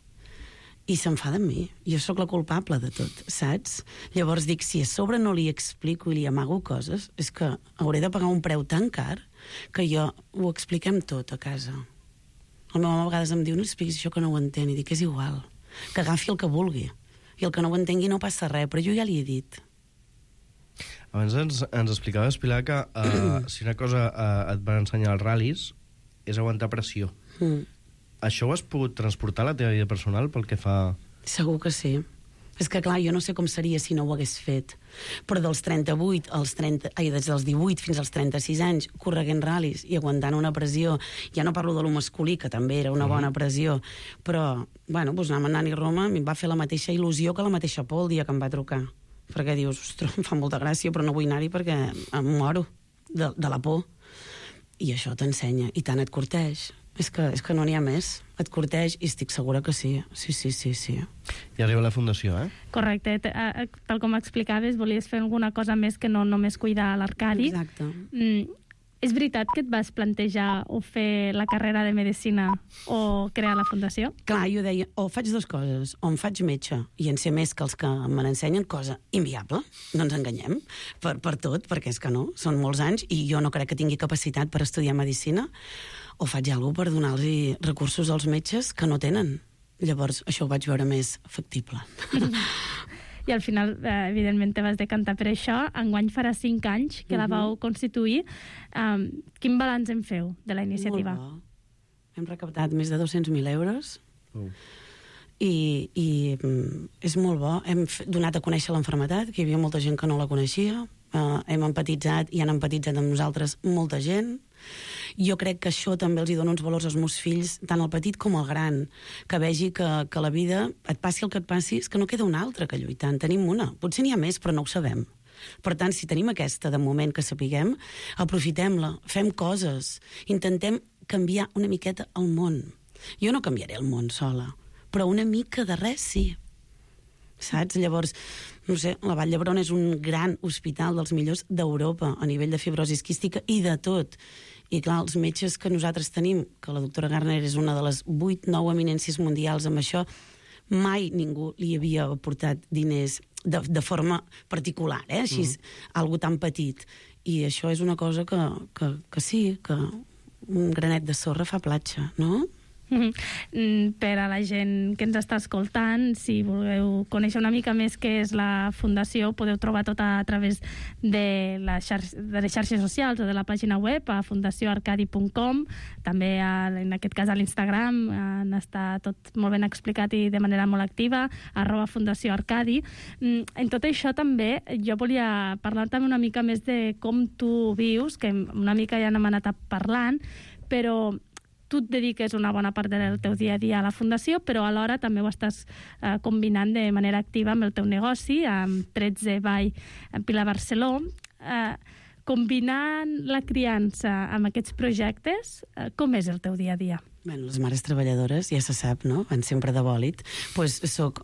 i s'enfada amb mi. Jo sóc la culpable de tot, saps? Llavors dic, si a sobre no li explico i li amago coses, és que hauré de pagar un preu tan car que jo ho expliquem tot a casa. El meu home a vegades em diu, no expliquis això que no ho entén, i dic, és igual, que agafi el que vulgui, i el que no ho entengui no passa res, però jo ja li he dit. Abans ens, ens explicaves, Pilar, que uh, si una cosa uh, et van ensenyar els ral·lis és aguantar pressió. Mm. Això ho has pogut transportar a la teva vida personal pel que fa... Segur que sí. És que, clar, jo no sé com seria si no ho hagués fet. Però dels trenta-vuit als trenta... Ai, des dels divuit fins als trenta-sis anys, correguent ral·lis i aguantant una pressió... Ja no parlo de lo masculí, que també era una bona pressió, però, bueno, doncs anant a Nani Roma em va fer la mateixa il·lusió que la mateixa por el dia que em va trucar. Perquè dius, ostres, em fa molta gràcia, però no vull anar-hi perquè em moro de, de la por. I això t'ensenya, i tant et corteix. És que, és que no n'hi ha més. Et corteix i estic segura que sí. Sí, sí, sí, sí. I arriba la fundació, eh? Correcte. Tal com explicaves, volies fer alguna cosa més que no només cuidar l'Arcadi. Exacte. Mm, és veritat que et vas plantejar o fer la carrera de Medicina o crear la fundació? Clar, jo deia, o faig dues coses, o em faig metge i en sé més que els que me n'ensenyen, cosa inviable, no ens enganyem, per, per tot, perquè és que no, són molts anys i jo no crec que tingui capacitat per estudiar Medicina, o faig alguna cosa per donar-los recursos als metges que no tenen. Llavors, això ho vaig veure més factible. I al final, eh, evidentment, te vas decantar per això. Enguany farà cinc anys que uh -huh. la vau constituir. Um, quin balanç en feu de la iniciativa? Molt bo. Hem recaptat més de dos-cents mil euros. Uh. I, i mm, és molt bo. Hem donat a conèixer l'enfermetat, que hi havia molta gent que no la coneixia. Uh, hem empatitzat i han empatitzat amb nosaltres molta gent. Jo crec que això també els hi dona uns valors als meus fills, tant el petit com el gran, que vegi que, que la vida, et passi el que et passi, és que no queda una altra que lluitar. En tenim una. Potser n'hi ha més, però no ho sabem. Per tant, si tenim aquesta de moment que sapiguem, aprofitem-la, fem coses, intentem canviar una miqueta el món. Jo no canviaré el món sola, però una mica de res sí. Saps? Llavors, no sé, la Vall d'Hebron és un gran hospital dels millors d'Europa a nivell de fibrosi quística i de tot. I clar, els metges que nosaltres tenim, que la doctora Garner és una de les vuit, nou eminències mundials amb això, mai ningú li havia aportat diners de, de forma particular, eh? Així, mm. algo tan petit. I això és una cosa que, que, que sí, que un granet de sorra fa platja, no? Mm-hmm. Per a la gent que ens està escoltant, si voleu conèixer una mica més què és la Fundació, podeu trobar tot a través de, la xar de les xarxes socials o de la pàgina web a fundació arcadi punt com, també a, en aquest cas a l'Instagram en està tot molt ben explicat i de manera molt activa, arroba Fundació Arcadi. En tot això també jo volia parlar també una mica més de com tu vius, que una mica ja n'hem anat parlant, però tu et dediques una bona part del teu dia a dia a la Fundació, però alhora també ho estàs eh, combinant de manera activa amb el teu negoci, amb tretze Vall Pilar Barceló. Eh, combinant la criança amb aquests projectes, eh, com és el teu dia a dia? Bueno, les mares treballadores, ja se sap, no? Van sempre de bòlit. Pues soc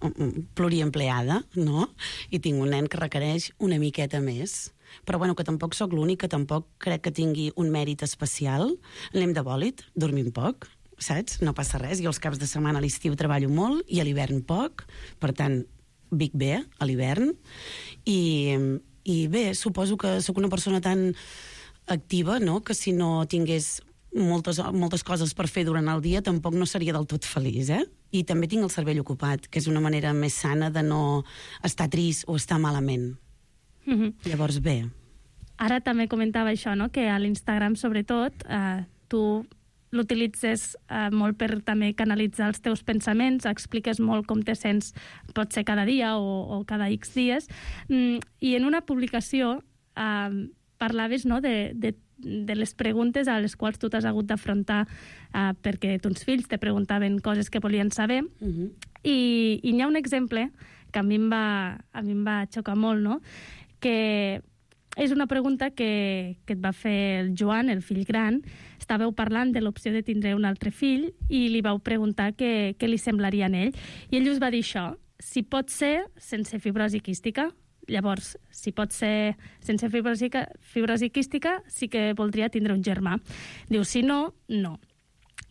pluriempleada, no? I tinc un nen que requereix una miqueta més. Però bueno, que tampoc sóc l'única, tampoc crec que tingui un mèrit especial. Anem de bòlit, dormim poc, saps? No passa res. Jo els caps de setmana a l'estiu treballo molt i a l'hivern poc, per tant, vic bé a l'hivern. I, I bé, suposo que sóc una persona tan activa, no?, que si no tingués moltes, moltes coses per fer durant el dia tampoc no seria del tot feliç, eh? I també tinc el cervell ocupat, que és una manera més sana de no estar trist o estar malament. Mm-hmm. Llavors, bé. Ara també comentava això, no?, que a l'Instagram, sobretot, eh, tu l'utilitzes eh, molt per també canalitzar els teus pensaments, expliques molt com te sents, pot ser cada dia o, o cada X dies, mm, i en una publicació eh, parlaves, no?, de, de, de les preguntes a les quals tu t'has hagut d'afrontar eh, perquè tons fills te preguntaven coses que volien saber, mm-hmm. i, i n'hi ha un exemple que a mi em va, a mi em va xocar molt, no?, que és una pregunta que, que et va fer el Joan, el fill gran. Estàveu parlant de l'opció de tindre un altre fill i li vau preguntar què, què li semblaria a ell. I ell us va dir això: si pot ser sense fibrosi quística. Llavors, si pot ser sense fibrosi, fibrosi quística, sí que voldria tindre un germà. Diu, si no, no.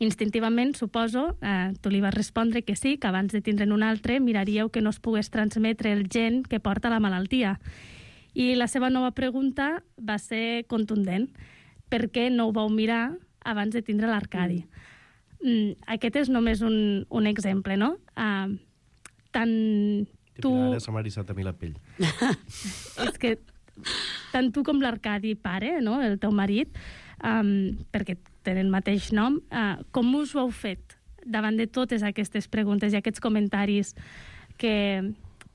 Instintivament, suposo, eh, tu li vas respondre que sí, que abans de tindre'n un altre miraríeu que no es pogués transmetre el gen que porta la malaltia. I la seva nova pregunta va ser contundent. Per què no ho vau mirar abans de tindre l'Arcadi? Mm. Mm, aquest és només un, un exemple, no? Uh, tant tu... Ara se m'ha eriçat a mi la pell. És que tant tu com l'Arcadi pare, no?, el teu marit, um, perquè tenen el mateix nom, uh, com us ho heu fet davant de totes aquestes preguntes i aquests comentaris que...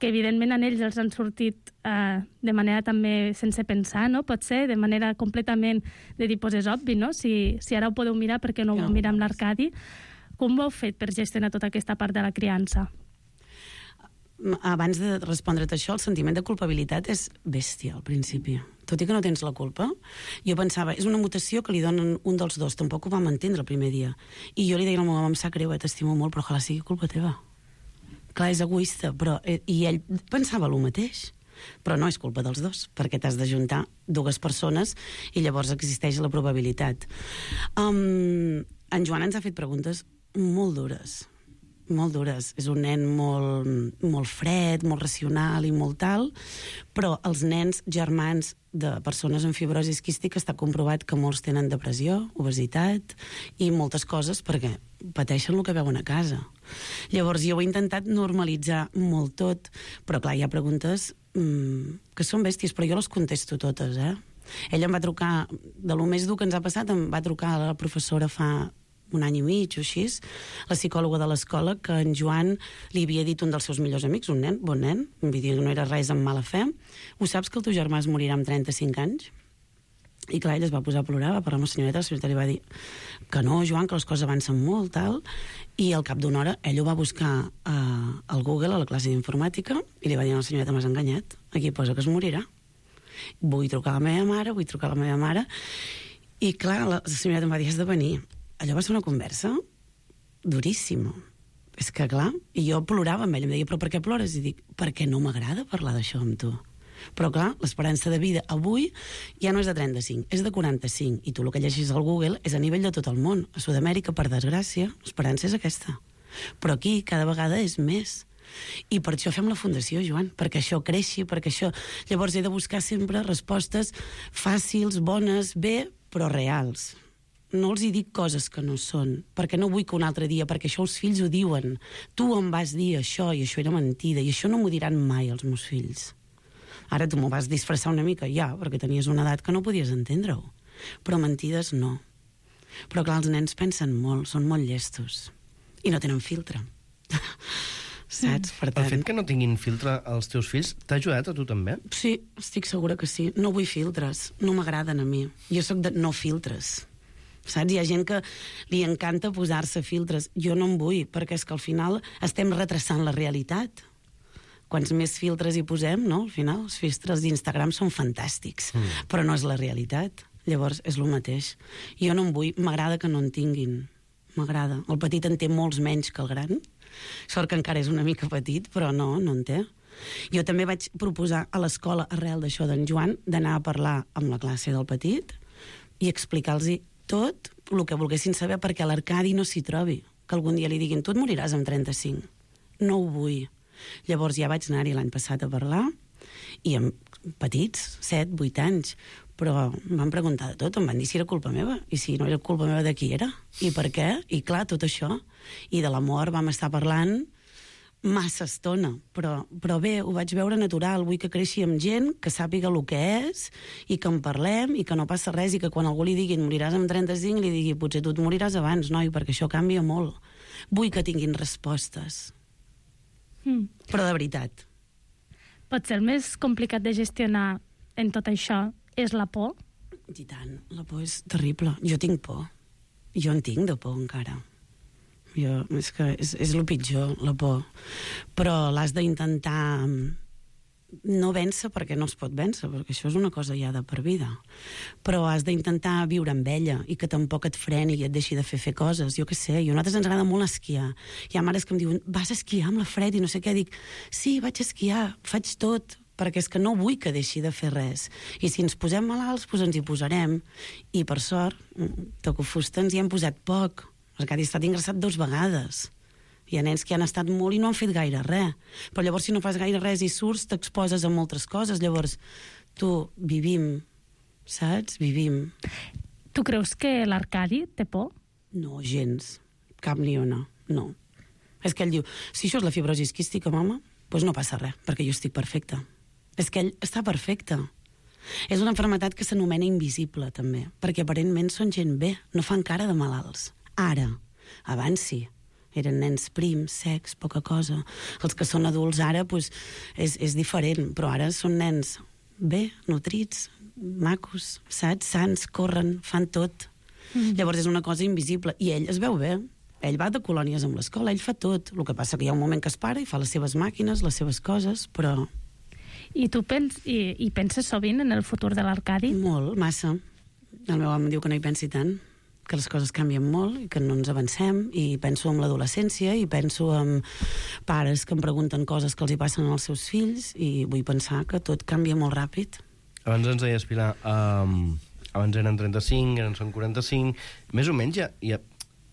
que evidentment en ells els han sortit eh, de manera també sense pensar, no? Pot ser de manera completament de dir, pues és obvi, no? Si, si ara ho podeu mirar, per què no ho vau mirar amb l'Arcadi? Com ho heu fet per gestionar tota aquesta part de la criança? Abans de respondre't això, el sentiment de culpabilitat és bèstia al principi. tot i que no tens la culpa. Jo pensava, és una mutació que li donen un dels dos, tampoc ho vam entendre el primer dia. I jo li deia a la meva mama, em sap greu, eh, t'estimo molt, però ojalà sigui culpa teva. Clar, és egoista, però... Eh, I ell pensava el mateix, però no és culpa dels dos, perquè t'has d'ajuntar dues persones i llavors existeix la probabilitat. Um, en Joan ens ha fet preguntes molt dures, molt dures. És un nen molt, molt fred, molt racional i molt tal, però els nens germans de persones amb fibrosi quística està comprovat que molts tenen depressió, obesitat i moltes coses perquè pateixen el que veuen a casa. Llavors jo he intentat normalitzar molt tot, però clar, hi ha preguntes mmm, que són bèsties, però jo les contesto totes, eh? Ella em va trucar, de lo més dur que ens ha passat, em va trucar la professora fa un any i mig o així, la psicòloga de l'escola, que en Joan li havia dit un dels seus millors amics, un nen, bon nen, em va dir que no era res amb mala fe, ho saps que el teu germà es morirà amb trenta-cinc anys? I clar, ell es va posar a plorar, va parlar amb la senyoreta, la senyoreta li va dir que no, Joan, que les coses avancen molt, tal, i al cap d'una hora ell ho va buscar uh, al Google, a la classe d'informàtica, i li va dir a la senyoreta, m'has enganyat, aquí posa que es morirà. Vull trucar a la meva mare, vull trucar a la meva mare, i clar, la senyoreta em va dir, has de venir. Allò va ser una conversa duríssima. És que, clar, i jo plorava amb ell, em deia, però per què plores? I dic, perquè no m'agrada parlar d'això amb tu. Però, clar, l'esperança de vida avui ja no és de trenta-cinc, és de quaranta-cinc, i tu el que llegis al Google és a nivell de tot el món. A Sud-amèrica, per desgràcia, l'esperança és aquesta. Però aquí, cada vegada és més. I per això fem la fundació, Joan, perquè això creixi, perquè això... Llavors he de buscar sempre respostes fàcils, bones, bé, però reals. No els hi dic coses que no són, perquè no vull que un altre dia, perquè això els fills ho diuen. Tu em vas dir això, i això era mentida, i això no m'ho diran mai els meus fills. Ara tu m'ho vas disfressar una mica, ja, perquè tenies una edat que no podies entendre-ho. Però mentides no. Però clar, els nens pensen molt, són molt llestos. I no tenen filtre. Saps? Per tant... El fet que no tinguin filtre als teus fills t'ha ajudat a tu també? Sí, estic segura que sí. No vull filtres, no m'agraden a mi. Jo sóc de no filtres. Saps? Hi ha gent que li encanta posar-se filtres. Jo no en vull, perquè és que al final estem retrasant la realitat. Quants més filtres hi posem, no? Al final, els filtres d'Instagram són fantàstics, mm. però no és la realitat. Llavors, és el mateix. Jo no en vull, m'agrada que no en tinguin. M'agrada. El petit en té molts menys que el gran. Sort que encara és una mica petit, però no, no en té. Jo també vaig proposar a l'escola, arrel d'això d'en Joan, d'anar a parlar amb la classe del petit i explicar-los tot el que volguessin saber perquè l'Arcadi no s'hi trobi. Que algun dia li diguin, tu et moriràs amb trenta-cinc. No ho vull. Llavors ja vaig anar-hi l'any passat a parlar, i amb petits, set, vuit anys, però em van preguntar de tot, em van dir si era culpa meva, i si no era culpa meva de qui era, i per què, i clar, tot això. I de l'amor vam estar parlant massa estona, però, però bé, ho vaig veure natural, vull que creixi amb gent, que sàpiga el que és, i que en parlem, i que no passa res, i que quan algú li digui moriràs amb trenta-cinc, li digui potser tu et moriràs abans, noi, perquè això canvia molt. Vull que tinguin respostes. Mm. Però de veritat. Potser el més complicat de gestionar en tot això és la por? I tant, la por és terrible. Jo tinc por. Jo en tinc de por encara. Jo, és que és, és el pitjor, la por. Però l'has d'intentar no vèncer perquè no es pot vèncer, perquè això és una cosa ja de per vida. Però has d'intentar viure amb ella i que tampoc et freni i et deixi de fer fer coses. Jo què sé, jo a nosaltres ens agrada molt esquiar. Hi ha mares que em diuen, vas a esquiar amb la Fred i no sé què. Dic, sí, vaig a esquiar, faig tot, perquè és que no vull que deixi de fer res. I si ens posem malalts, doncs ens hi posarem. I per sort, toco fusta, ens hi hem posat poc. L'Arcadi ha estat ingressat dues vegades. Hi ha nens que han estat molt i no han fet gaire res. Però llavors, si no fas gaire res i surts, t'exposes a moltes coses. Llavors, tu, vivim, saps? Vivim. Tu creus que l'Arcadi té por? No, gens. Cap ni una. No. És que ell diu, si això és la fibrosi quística, mama, doncs no passa res, perquè jo estic perfecta. És que ell està perfecte. És una malaltia que s'anomena invisible, també, perquè aparentment són gent bé, no fan cara de malalts. Ara, abans sí. Eren nens prims, secs, poca cosa. Els que són adults ara, doncs, és, és diferent, però ara són nens bé, nutrits, macos, saps? Sants, corren, fan tot. Mm. Llavors és una cosa invisible. I ell es veu bé. Ell va de colònies amb l'escola, ell fa tot. El que passa que hi ha un moment que es para i fa les seves màquines, les seves coses, però... I tu pens, i, i penses sovint en el futur de l'Arcadi? Molt, massa. El meu home diu que no hi pensi tant, que les coses canvien molt i que no ens avancem, i penso en l'adolescència i penso en pares que em pregunten coses que els hi passen als seus fills, i vull pensar que tot canvia molt ràpid. Abans ens deies, Pilar, um, abans eren trenta-cinc, ara en són quaranta-cinc, més o menys ja, ja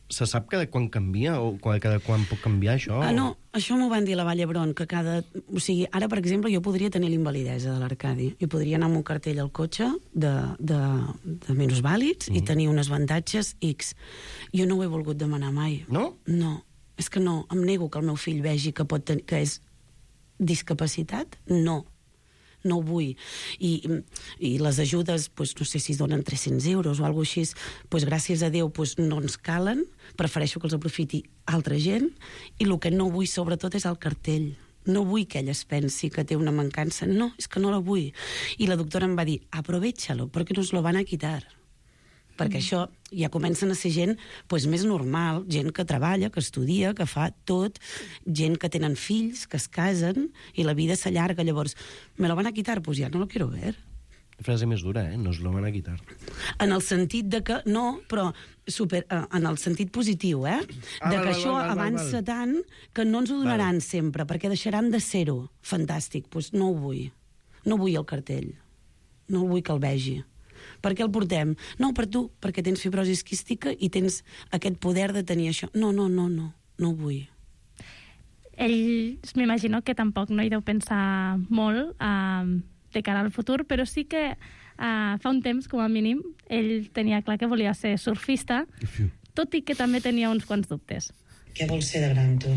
se sap cada quan canvia o cada quan pot canviar això? Ah, no, això m'ho van dir a la Vall d'Hebron, que cada... O sigui, ara, per exemple, jo podria tenir l'invalidesa de l'Arcadi. Jo podria anar amb un cartell al cotxe de, de, de minusvàlids mm. i tenir uns avantatges X. Jo no ho he volgut demanar mai. No? No, és que no. Em nego que el meu fill vegi que, pot tenir, que és discapacitat. No. No ho vull. I, i les ajudes, doncs, no sé si es donen tres-cents euros o alguna cosa així, doncs, gràcies a Déu doncs, no ens calen, prefereixo que els aprofiti altra gent, i el que no vull sobretot és el cartell. No vull que ella es pensi que té una mancança. No, és que no la vull. I la doctora em va dir, aprovecha-lo, perquè nos lo van a quitar. Perquè mm. això ja comencen a ser gent pues, més normal, gent que treballa, que estudia, que fa tot, gent que tenen fills, que es casen, i la vida s'allarga. Llavors, me lo van a quitar? Pues ja no lo quiero ver. Frase més dura, eh? Nos lo van a quitar. En el sentit de que... No, però super, en el sentit positiu, eh? Ah, de val, que val, això val, val, avança val. tant que no ens ho donaran val. sempre, perquè deixaran de ser-ho. Fantàstic, doncs no ho vull. No vull el cartell. No vull que el vegi. Per què el portem? No, per tu, perquè tens fibrosi quística i tens aquest poder de tenir això. No, no, no, no, no ho vull. Ell, m'imagino que tampoc no hi deu pensar molt eh, de cara al futur, però sí que eh, fa un temps, com a mínim, ell tenia clar que volia ser surfista, tot i que també tenia uns quants dubtes. Què vols ser de gran, tu?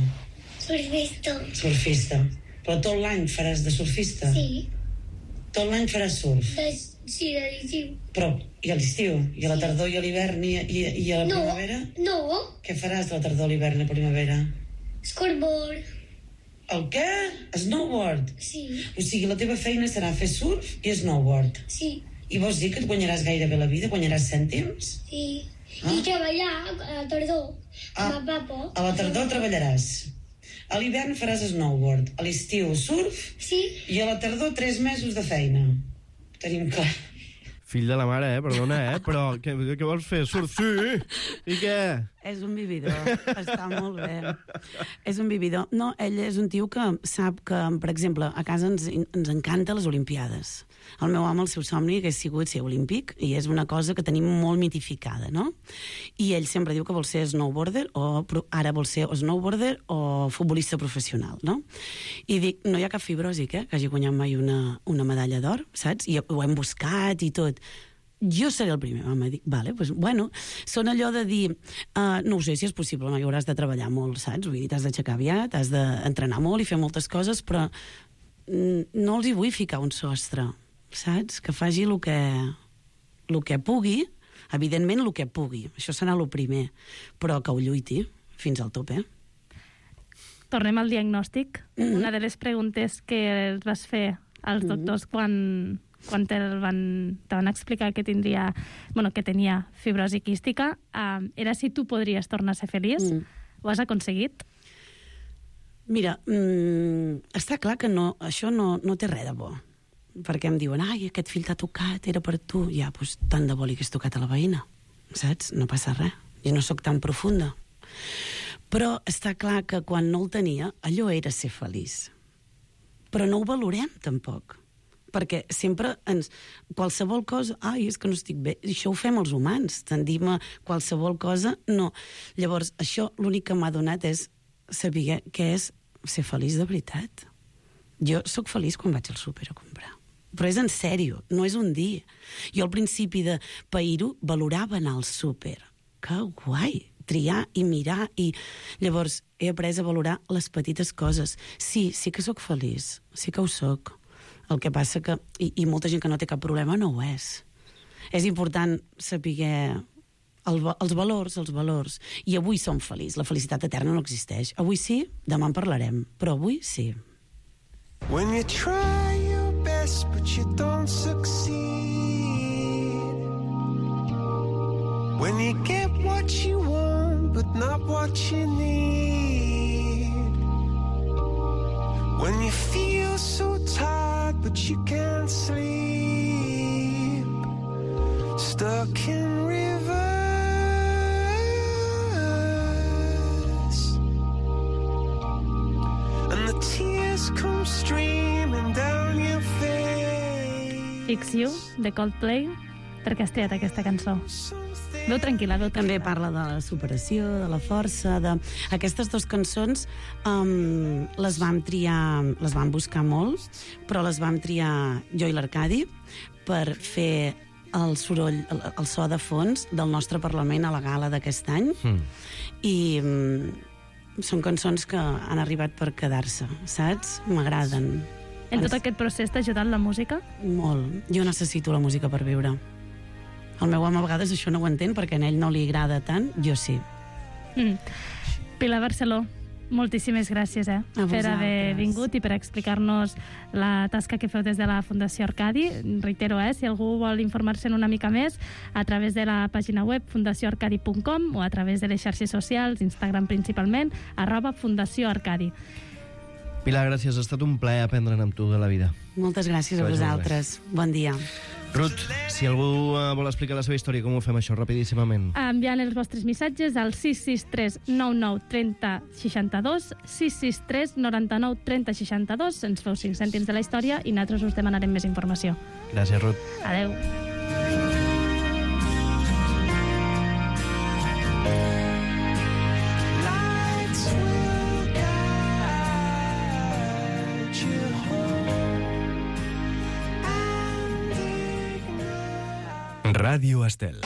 Surfista. Surfista. Però tot l'any faràs de surfista? Sí. Tot l'any faràs surf? De, sí, de l'estiu. Però, i a l'estiu? I a la tardor i a l'hivern i, i, i a la no, primavera? No. Què faràs de la tardor, l'hivern i la primavera? Skateboard. El què? Snowboard? Sí. O sigui, la teva feina serà fer surf i snowboard? Sí. I vols dir que et guanyaràs gairebé la vida? Guanyaràs cèntims? Sí. Ah? I treballar a la tardor ah, amb el papa. A la tardor treballaràs. A l'hivern faràs snowboard. A l'estiu surf. Sí. I a la tardor tres mesos de feina. Tenim clar. Fill de la mare, eh? Perdona, eh? Però què, què vols fer? Surf? Sí! I què? És un vividor, està molt bé. És un vividor. No, ell és un tio que sap que, per exemple, a casa ens, ens encanta les Olimpiades. El meu home, el seu somni hagués sigut ser olímpic, i és una cosa que tenim molt mitificada, no? I ell sempre diu que vol ser snowboarder, o ara vol ser o snowboarder o futbolista professional, no? I dic, no hi ha cap fibròsic, eh?, que hagi guanyat mai una, una medalla d'or, saps? I ho hem buscat i tot. Jo seré el primer. Home, dic, vale, pues, bueno, són allò de dir, uh, no ho sé si és possible, no, hi hauràs de treballar molt, saps? Vull dir, t'has d'aixecar aviat, has d'entrenar molt i fer moltes coses, però no els hi vull ficar un sostre, saps? Que faci el que, el que pugui, evidentment el que pugui, això serà el primer, però que ho lluiti fins al top, eh? Tornem al diagnòstic. Mm-hmm. Una de les preguntes que els vas fer als doctors mm-hmm. quan... quan te van, te van explicar que tindria, bueno, que tenia fibrosi quística, eh, era si tu podries tornar a ser feliç. Mm. Ho has aconseguit? Mira, mm, està clar que no, això no, no té res de bo. Perquè em diuen, ai, aquest fill t'ha tocat, era per tu. Ja, doncs tant de bo li hagués tocat a la veïna, saps? No passa res. Jo no sóc tan profunda. Però està clar que quan no el tenia, allò era ser feliç. Però no ho valorem, tampoc. Perquè sempre ens... Qualsevol cosa... Ai, és que no estic bé. Això ho fem els humans. Tendim a qualsevol cosa... No. Llavors, això l'únic que m'ha donat és saber què és ser feliç de veritat. Jo sóc feliç quan vaig al súper a comprar. Però és en sèrio, no és un dia. Jo al principi de pair-ho valorava anar al súper. Que guai! Triar i mirar i... Llavors, he après a valorar les petites coses. Sí, sí que sóc feliç. Sí que ho sóc. El que passa que, i, i molta gent que no té cap problema no ho és. És important saber el, els valors, els valors. I avui som feliços. La felicitat eterna no existeix. Avui sí, demà en parlarem, però avui sí. When you try your best but you don't succeed, when you get what you want but not what you need, when you feel so tired but but you can't sleep. Stuck in reverse, and the tears come streaming down your face. Fix You, de Coldplay. Per què has triat aquesta cançó? Veu tranquil·la, veu tranquil·la. També parla de la superació, de la força, de... Aquestes dues cançons um, les vam triar, les vam buscar molt, però les vam triar jo i l'Arcadi per fer el soroll, el, el so de fons del nostre Parlament a la gala d'aquest any. Mm. I um, són cançons que han arribat per quedar-se, saps? M'agraden. En tot aquest procés t'ha ajudat la música? Molt. Jo necessito la música per viure. El meu home a vegades això no ho entén perquè a ell no li agrada tant, jo sí. Mm. Pilar Barceló, moltíssimes gràcies eh, per haver vingut i per explicar-nos la tasca que feu des de la Fundació Arcadi. Reitero, eh, si algú vol informar-se'n una mica més, a través de la pàgina web fundació arcadi punt com o a través de les xarxes socials, Instagram principalment, arroba Fundació Arcadi. Pilar, gràcies. Ha estat un plaer aprendre'n amb tu de la vida. Moltes gràcies a vosaltres. Bon dia. Ruth, si algú uh, vol explicar la seva història, com ho fem això, rapidíssimament? Enviant els vostres missatges al sis sis tres nou nou trenta seixanta-dos, sis sis tres noranta-nou trenta seixanta-dos, ens feu cinc cèntims de la història i nosaltres us demanarem més informació. Gràcies, Ruth. Adeu. Ràdio Estel.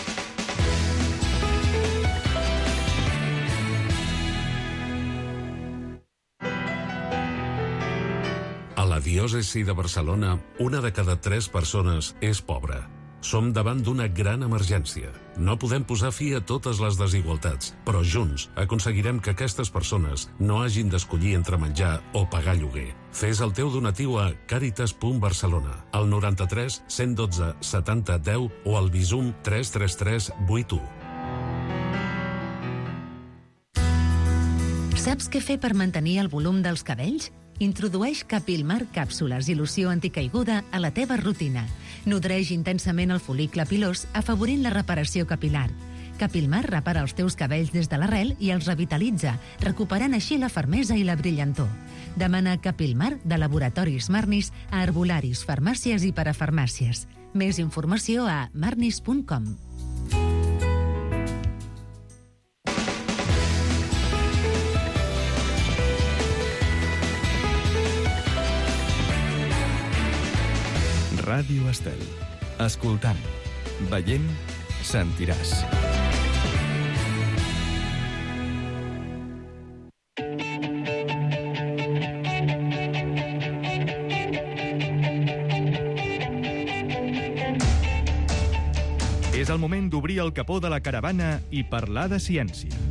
A la diòcesi de Barcelona, una de cada tres persones és pobra. Som davant d'una gran emergència. No podem posar fi a totes les desigualtats, però junts aconseguirem que aquestes persones no hagin d'escollir entre menjar o pagar lloguer. Fes el teu donatiu a caritas punt barcelona, al noranta-tres cent dotze setanta deu o al Bizum tres tres tres vuit u. Saps què fer per mantenir el volum dels cabells? Introdueix Capilmar càpsules i loció anticaiguda a la teva rutina. Nodreix intensament el fol·licle pilós, afavorint la reparació capilar. Capilmar repara els teus cabells des de l'arrel i els revitalitza, recuperant així la fermesa i la brillantor. Demana Capilmar de Laboratoris Marnis a herbolaris, farmàcies i parafarmàcies. Més informació a marnis punt com. Ràdio Estel. Escoltant, veient, sentiràs. És el moment d'obrir el capó de la caravana i parlar de ciència.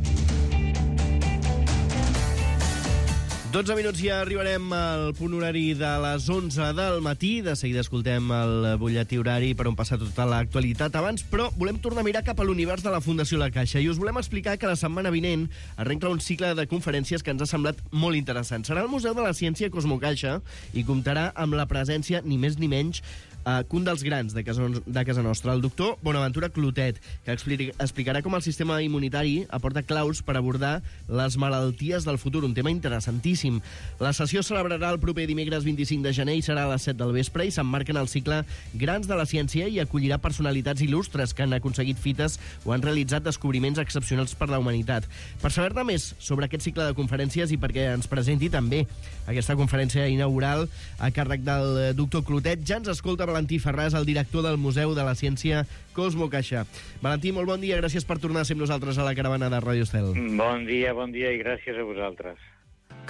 dotze minuts i ja arribarem al punt horari de les onze del matí. De seguida escoltem el butlletí horari per on passar tota l'actualitat abans, però volem tornar a mirar cap a l'univers de la Fundació La Caixa i us volem explicar que la setmana vinent arrenca un cicle de conferències que ens ha semblat molt interessant. Serà al Museu de la Ciència Cosmocaixa i comptarà amb la presència, ni més ni menys, Uh, que un dels grans de casa, de casa nostra, el doctor Bonaventura Clotet, que explica, explicarà com el sistema immunitari aporta claus per abordar les malalties del futur, un tema interessantíssim. La sessió celebrarà el proper dimecres vint-i-cinc de gener i serà a les set del vespre i s'emmarca en el cicle Grans de la Ciència i acollirà personalitats il·lustres que han aconseguit fites o han realitzat descobriments excepcionals per la humanitat. Per saber-ne més sobre aquest cicle de conferències i perquè ens presenti també aquesta conferència inaugural a càrrec del doctor Clotet, ja ens escolta Valentí Ferràs, el director del Museu de la Ciència Cosmocaixa. Valentí, molt bon dia, gràcies per tornar a ser amb nosaltres a la caravana de Ràdio Estel. Bon dia, bon dia i gràcies a vosaltres.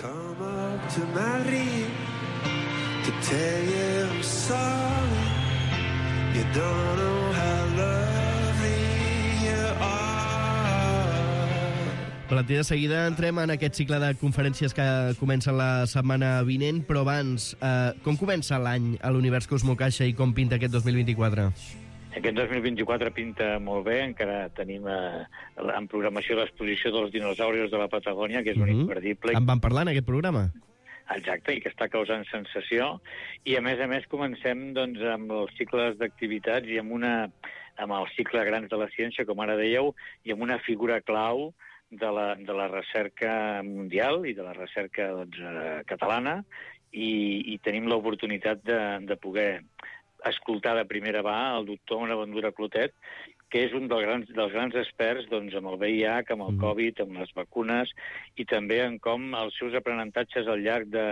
Come up to Madrid to tell you I'm sorry. You don't know how lovely you are. Valentí, de seguida entrem en aquest cicle de conferències que comença la setmana vinent, però abans, eh, com comença l'any a l'univers Cosmocaixa i com pinta aquest dos mil vint-i-quatre? Aquest dos mil vint-i-quatre pinta molt bé, encara tenim eh, en programació l'exposició dels dinosaurios de la Patagònia, que és un Mm-hmm. imperdible. En vam parlar en aquest programa? exacte, i que està causant sensació. I, a més a més, comencem doncs, amb els cicles d'activitats i amb, una, amb el cicle Grans de la Ciència, com ara dèieu, i amb una figura clau de la, de la recerca mundial i de la recerca doncs, eh, catalana, i, i tenim l'oportunitat de, de poder escoltar de primera mà el doctor Bonaventura Clotet, que és un dels grans, dels grans experts doncs, amb el V I H, amb el Covid, amb les vacunes, i també en com els seus aprenentatges al llarg de,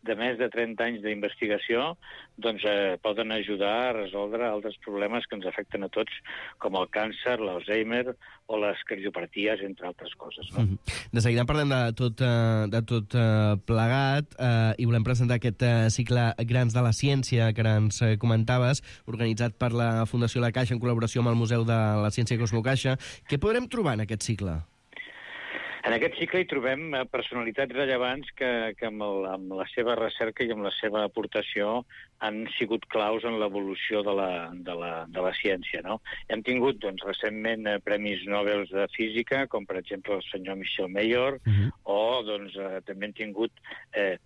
de més de trenta anys d'investigació doncs, eh, poden ajudar a resoldre altres problemes que ens afecten a tots, com el càncer, l'Alzheimer o les cardiopaties, entre altres coses. No? Mm-hmm. De seguida parlem de tot, eh, de tot eh, plegat eh, i volem presentar aquest eh, cicle Grans de la Ciència que ens eh, comentaves, organitzat per la Fundació La Caixa en col·laboració amb el Museu de la Ciència Cosmocaixa. Què podrem trobar en aquest cicle? En aquest cicle hi trobem personalitats rellevants que, que amb, el, amb la seva recerca i amb la seva aportació han sigut claus en l'evolució de, la, de, la, de la ciència. No? Hem tingut doncs, recentment eh, premis Nobel de Física, com per exemple el senyor Michel Mayor, uh-huh. o doncs, eh, també hem tingut eh,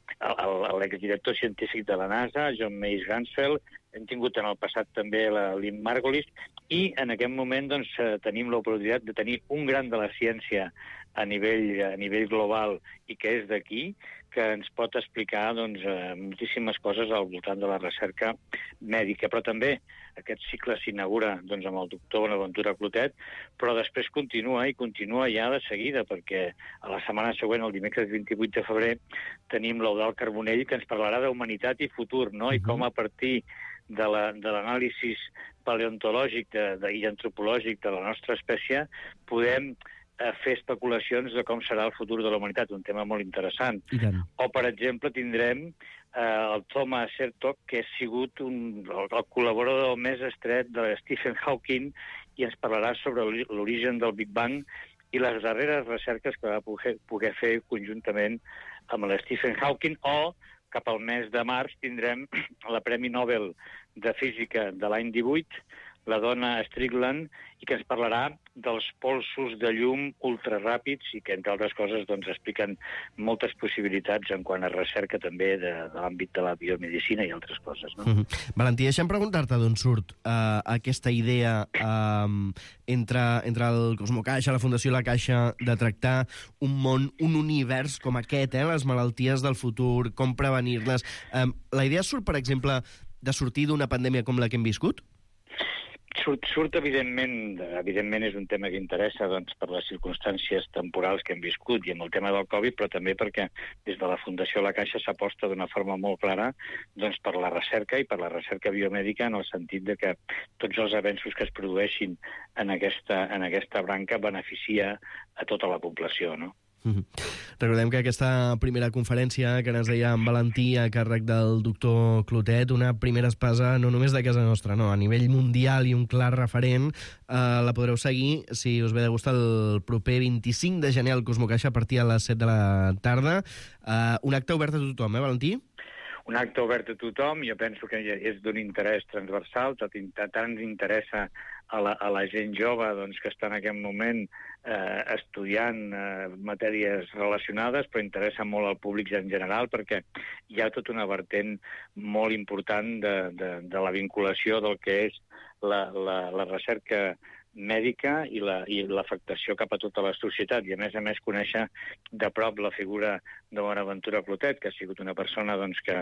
l'exdirector científic de la NASA, John Mace Gansfeld, hem tingut en el passat també la Lynn Margulis, i en aquest moment doncs, tenim l'oportunitat de tenir un gran de la ciència a nivell, a nivell global i que és d'aquí, que ens pot explicar doncs, moltíssimes coses al voltant de la recerca mèdica. Però també aquest cicle s'inaugura doncs, amb el doctor Bonaventura Clotet, però després continua i continua ja de seguida, perquè a la setmana següent, el dimecres vint-i-vuit de febrer, tenim l'Eudald Carbonell, que ens parlarà d'humanitat i futur, no? I com a partir de l'anàlisi paleontològic de, de, i antropològic de la nostra espècie podem eh, fer especulacions de com serà el futur de la humanitat, un tema molt interessant. O, per exemple, tindrem eh, el Thomas Hertog, que ha sigut un, el, el col·laborador més estret de Stephen Hawking, i ens parlarà sobre l'origen del Big Bang i les darreres recerques que va poder, poder fer conjuntament amb l'Stephen Hawking. O cap al mes de març tindrem la Premi Nobel de Física de l'any divuit, la dona Strickland, i que ens parlarà dels polsos de llum ultraràpids i que, entre altres coses, doncs, expliquen moltes possibilitats en quant a recerca també de, de l'àmbit de la biomedicina i altres coses. No? Mm-hmm. Valentí, deixa'm preguntar-te d'on surt uh, aquesta idea uh, entre, entre el Cosmocaixa, la Fundació La Caixa, de tractar un món, un univers com aquest, eh, les malalties del futur, com prevenir-les. Um, la idea surt, per exemple, de sortir d'una pandèmia com la que hem viscut? Surt, surt evidentment, evidentment és un tema que interessa doncs, per les circumstàncies temporals que hem viscut i amb el tema del Covid, però també perquè des de la Fundació La Caixa s'aposta d'una forma molt clara doncs, per la recerca i per la recerca biomèdica, en el sentit de que tots els avenços que es produeixin en aquesta, en aquesta branca beneficia a tota la població, no? Mm-hmm. Recordem que aquesta primera conferència que ens deia en Valentí a càrrec del doctor Clotet, una primera espasa no només de casa nostra, no, a nivell mundial i un clar referent, eh, la podreu seguir si us ve de gust el proper vint-i-cinc de gener al Cosmocaixa a partir de les set de la tarda. Eh, un acte obert a tothom, eh, Valentí? Un acte obert a tothom, jo penso que és d'un interès transversal, tant ens interessa a la, a la gent jove doncs, que està en aquest moment eh, estudiant eh, matèries relacionades, però interessa molt al públic en general, perquè hi ha tota una vertent molt important de, de, de la vinculació del que és la, la, la recerca mèdica i la, i l'afectació cap a tota la societat, i a més a més conèixer de prop la figura de Bonaventura Clotet, que ha sigut una persona doncs, que,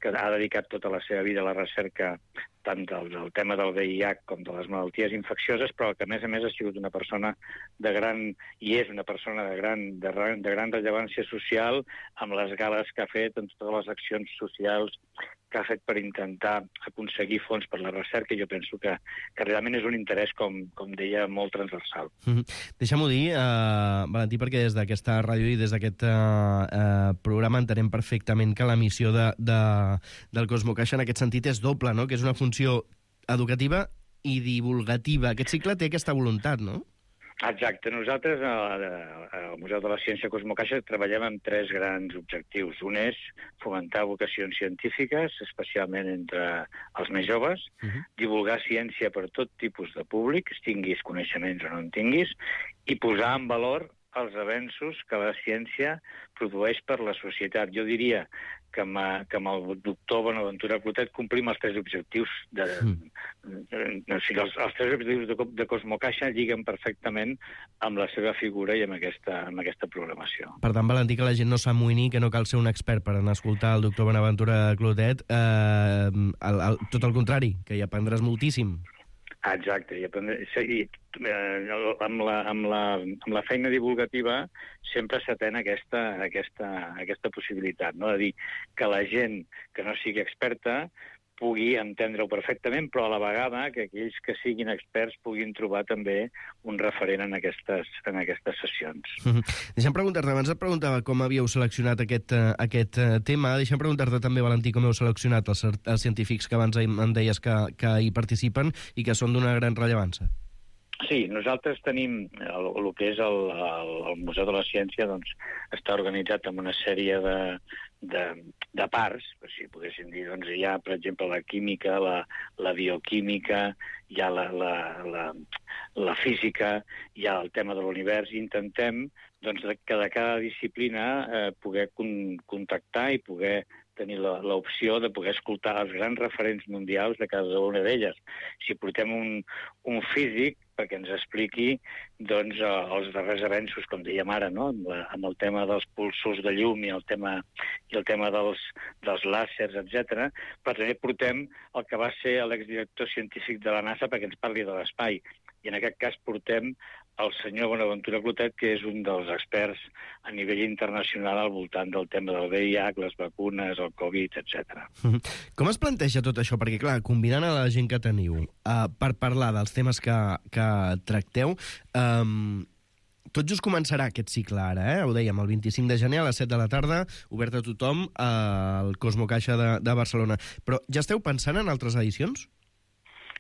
que ha dedicat tota la seva vida a la recerca tant del, del tema del V I H com de les malalties infeccioses, però que a més a més ha sigut una persona de gran, i és una persona de gran, de, de gran rellevància social, amb les gales que ha fet en totes les accions socials que ha fet per intentar aconseguir fons per la recerca, i jo penso que, que realment és un interès, com, com deia, molt transversal. Mm-hmm. Deixa'm-ho dir, uh, Valentí, perquè des d'aquesta ràdio i des d'aquest uh, uh, programa entenem perfectament que la missió de, de, del Cosmocaixa en aquest sentit és doble, no? Que és una funció educativa i divulgativa. Aquest cicle té aquesta voluntat, no? Exacte. Nosaltres, al Museu de la Ciència Cosmocaixa, treballem amb tres grans objectius. Un és fomentar vocacions científiques, especialment entre els més joves, uh-huh. divulgar ciència per tot tipus de públic, tinguis coneixements o no en tinguis, i posar en valor els avenços que la ciència produeix per la societat. Jo diria que amb, que amb el doctor Bonaventura Clotet complim els tres objectius de, mm. de, de, o sigui, els, els tres objectius de, de Cosmocaixa lliguen perfectament amb la seva figura i amb aquesta, amb aquesta programació. Per tant, Valentí, que la gent no s'amoïni, que no cal ser un expert per anar a escoltar el doctor Bonaventura Clotet, eh, el, el, tot el contrari, que hi aprendràs moltíssim. Exacte, i, i eh, amb, la, amb, la, amb la feina divulgativa sempre s'atén aquesta, aquesta, aquesta possibilitat, no? De dir que la gent que no sigui experta pugui entendre-ho perfectament, però a la vegada que aquells que siguin experts puguin trobar també un referent en aquestes, en aquestes sessions. Mm-hmm. Deixa'm preguntar-te, abans et preguntava com havíeu seleccionat aquest, uh, aquest uh, tema, deixa'm preguntar-te també, Valentí, com heu seleccionat els, els científics que abans em deies que, que hi participen i que són d'una gran rellevància. Sí, nosaltres tenim el, el que és el, el, el Museu de la Ciència, doncs està organitzat en una sèrie de, de, de parts, si poguéssim dir, doncs hi ha, per exemple, la química, la, la bioquímica, hi ha la, la, la, la física, hi ha el tema de l'univers, i intentem doncs, que de cada disciplina eh, poder con, contactar i poder tenir l'opció de poder escoltar els grans referents mundials de cada una d'elles. Si portem un, un físic perquè ens expliqui doncs, els darrers avenços, com dèiem ara, no? amb, la, amb el tema dels pulsos de llum i el tema, i el tema dels, dels làsers, etcètera, però també portem el que va ser l'exdirector científic de la NASA perquè ens parli de l'espai. I en aquest cas portem el senyor Bonaventura Clotet, que és un dels experts a nivell internacional al voltant del tema del V I H, les vacunes, el Covid, etcètera. Com es planteja tot això? Perquè, clar, combinant a la gent que teniu uh, per parlar dels temes que, que tracteu, um, tot just començarà aquest cicle ara, eh? Ho dèiem, el vint-i-cinc de gener a les set de la tarda, obert a tothom al Cosmocaixa de, de Barcelona. Però ja esteu pensant en altres edicions?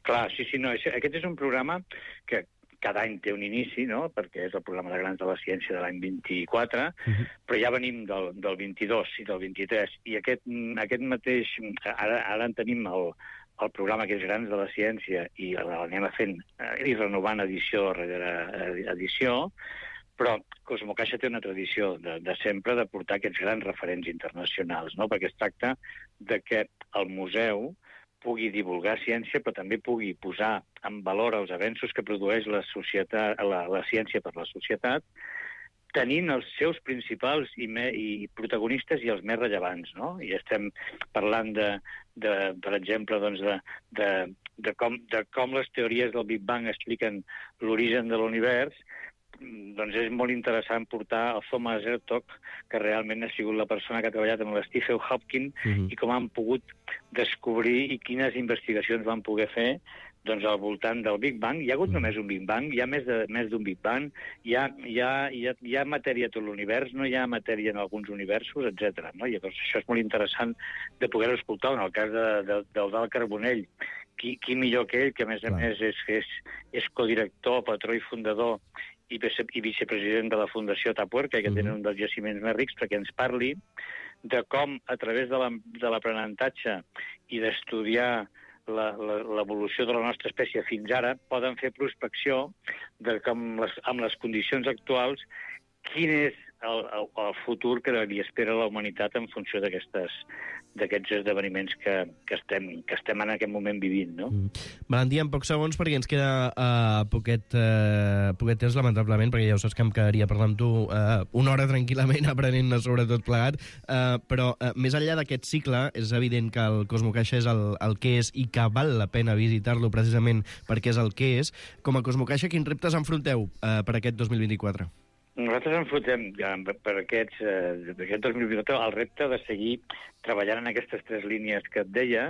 Clar, sí, sí, no. Aquest és un programa que cada any té un inici, no?, perquè és el programa de Grans de la Ciència de l'any vint-i-quatre, uh-huh. però ja venim del, del vint-i-dos i del vint-i-tres, i aquest, aquest mateix... Ara, ara en tenim el, el programa que és Grans de la Ciència i l'anem fent i renovant edició rere edició, però Cosmocaixa té una tradició de, de sempre de portar aquests grans referents internacionals, no?, perquè es tracta de que el museu pugui divulgar ciència, però també pugui posar en valor els avenços que produeix la, societat, la, la ciència per la societat, tenint els seus principals i, me, i protagonistes i els més rellevants, no? I estem parlant, de, de, per exemple, doncs de, de, de, com, de com les teories del Big Bang expliquen l'origen de l'univers. Doncs és molt interessant portar el Thomas Hertog, que realment ha sigut la persona que ha treballat amb l'Stephen Hawking, uh-huh. i com han pogut descobrir i quines investigacions van poder fer doncs, al voltant del Big Bang. Hi ha hagut uh-huh. només un Big Bang, hi ha més de, més d'un Big Bang, hi ha, hi, ha, hi, ha, hi ha matèria a tot l'univers, no hi ha matèria en alguns universos, etcètera. No? I llavors això és molt interessant de poder-ho escoltar. En el cas de, de, del Dalt Carbonell, qui, qui millor que ell, que a més a Clar. més és, és, és codirector, patró i fundador i vicepresident de la Fundació Atapuerca, que tenen un dels jaciments més rics, perquè ens parli de com, a través de l'aprenentatge i d'estudiar l'evolució de la nostra espècie fins ara, poden fer prospecció de com, les, amb les condicions actuals, quin és el, el, el futur que li espera la humanitat en funció d'aquestes d'aquests esdeveniments que, que, estem, que estem en aquest moment vivint, no? Mm. Valentí, en pocs segons, perquè ens queda uh, poquet, uh, poquet temps, lamentablement, perquè ja ho saps que em quedaria parlant amb tu uh, una hora tranquil·lament, aprenent-ne sobre tot plegat, uh, però uh, més enllà d'aquest cicle, és evident que el Cosmocaixa és el, el que és i que val la pena visitar-lo precisament perquè és el que és. Com a Cosmocaixa, quins reptes enfronteu uh, per aquest dos mil vint-i-quatre? Nosaltres enfrontem per aquests, eh, aquest dos mil vint-i-quatre el repte de seguir treballant en aquestes tres línies que et deia,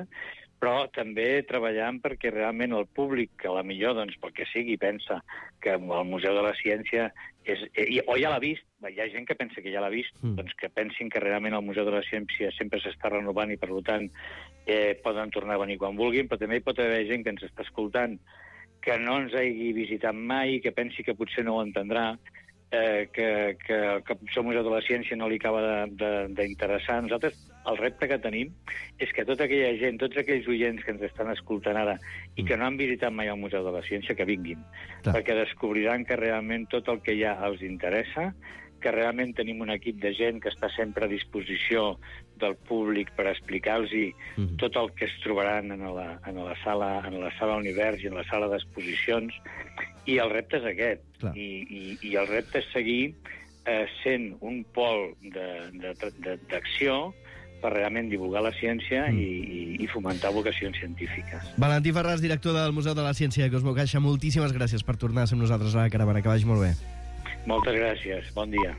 però també treballant perquè realment el públic, que a la millor, doncs, pel que sigui, pensa que el Museu de la Ciència és, eh, o ja l'ha vist, hi ha gent que pensa que ja l'ha vist, mm. doncs que pensin que realment el Museu de la Ciència sempre s'està renovant i, per tant, eh, poden tornar a venir quan vulguin, però també hi pot haver gent que ens està escoltant que no ens hagi visitat mai, que pensi que potser no ho entendrà, eh, que, que el Capçó Museu de la Ciència no li acaba d'interessar. Nosaltres, el repte que tenim és que tota aquella gent, tots aquells oients que ens estan escoltant ara i que no han visitat mai el Museu de la Ciència, que vinguin, Clar. perquè descobriran que realment tot el que hi ha els interessa, que realment tenim un equip de gent que està sempre a disposició del públic per explicar-los mm-hmm. tot el que es trobaran en la, en la sala en la sala Univers i en la sala d'exposicions, i el repte és aquest. I, i, i el repte és seguir eh, sent un pol d'acció per realment divulgar la ciència mm. i, i fomentar vocacions científiques. Valentí Ferràs, director del Museu de la Ciència de Cosmo Caixa, moltíssimes gràcies per tornar a ser amb nosaltres a la Caravana. Que vagi molt bé. Moltes gràcies. Bon dia.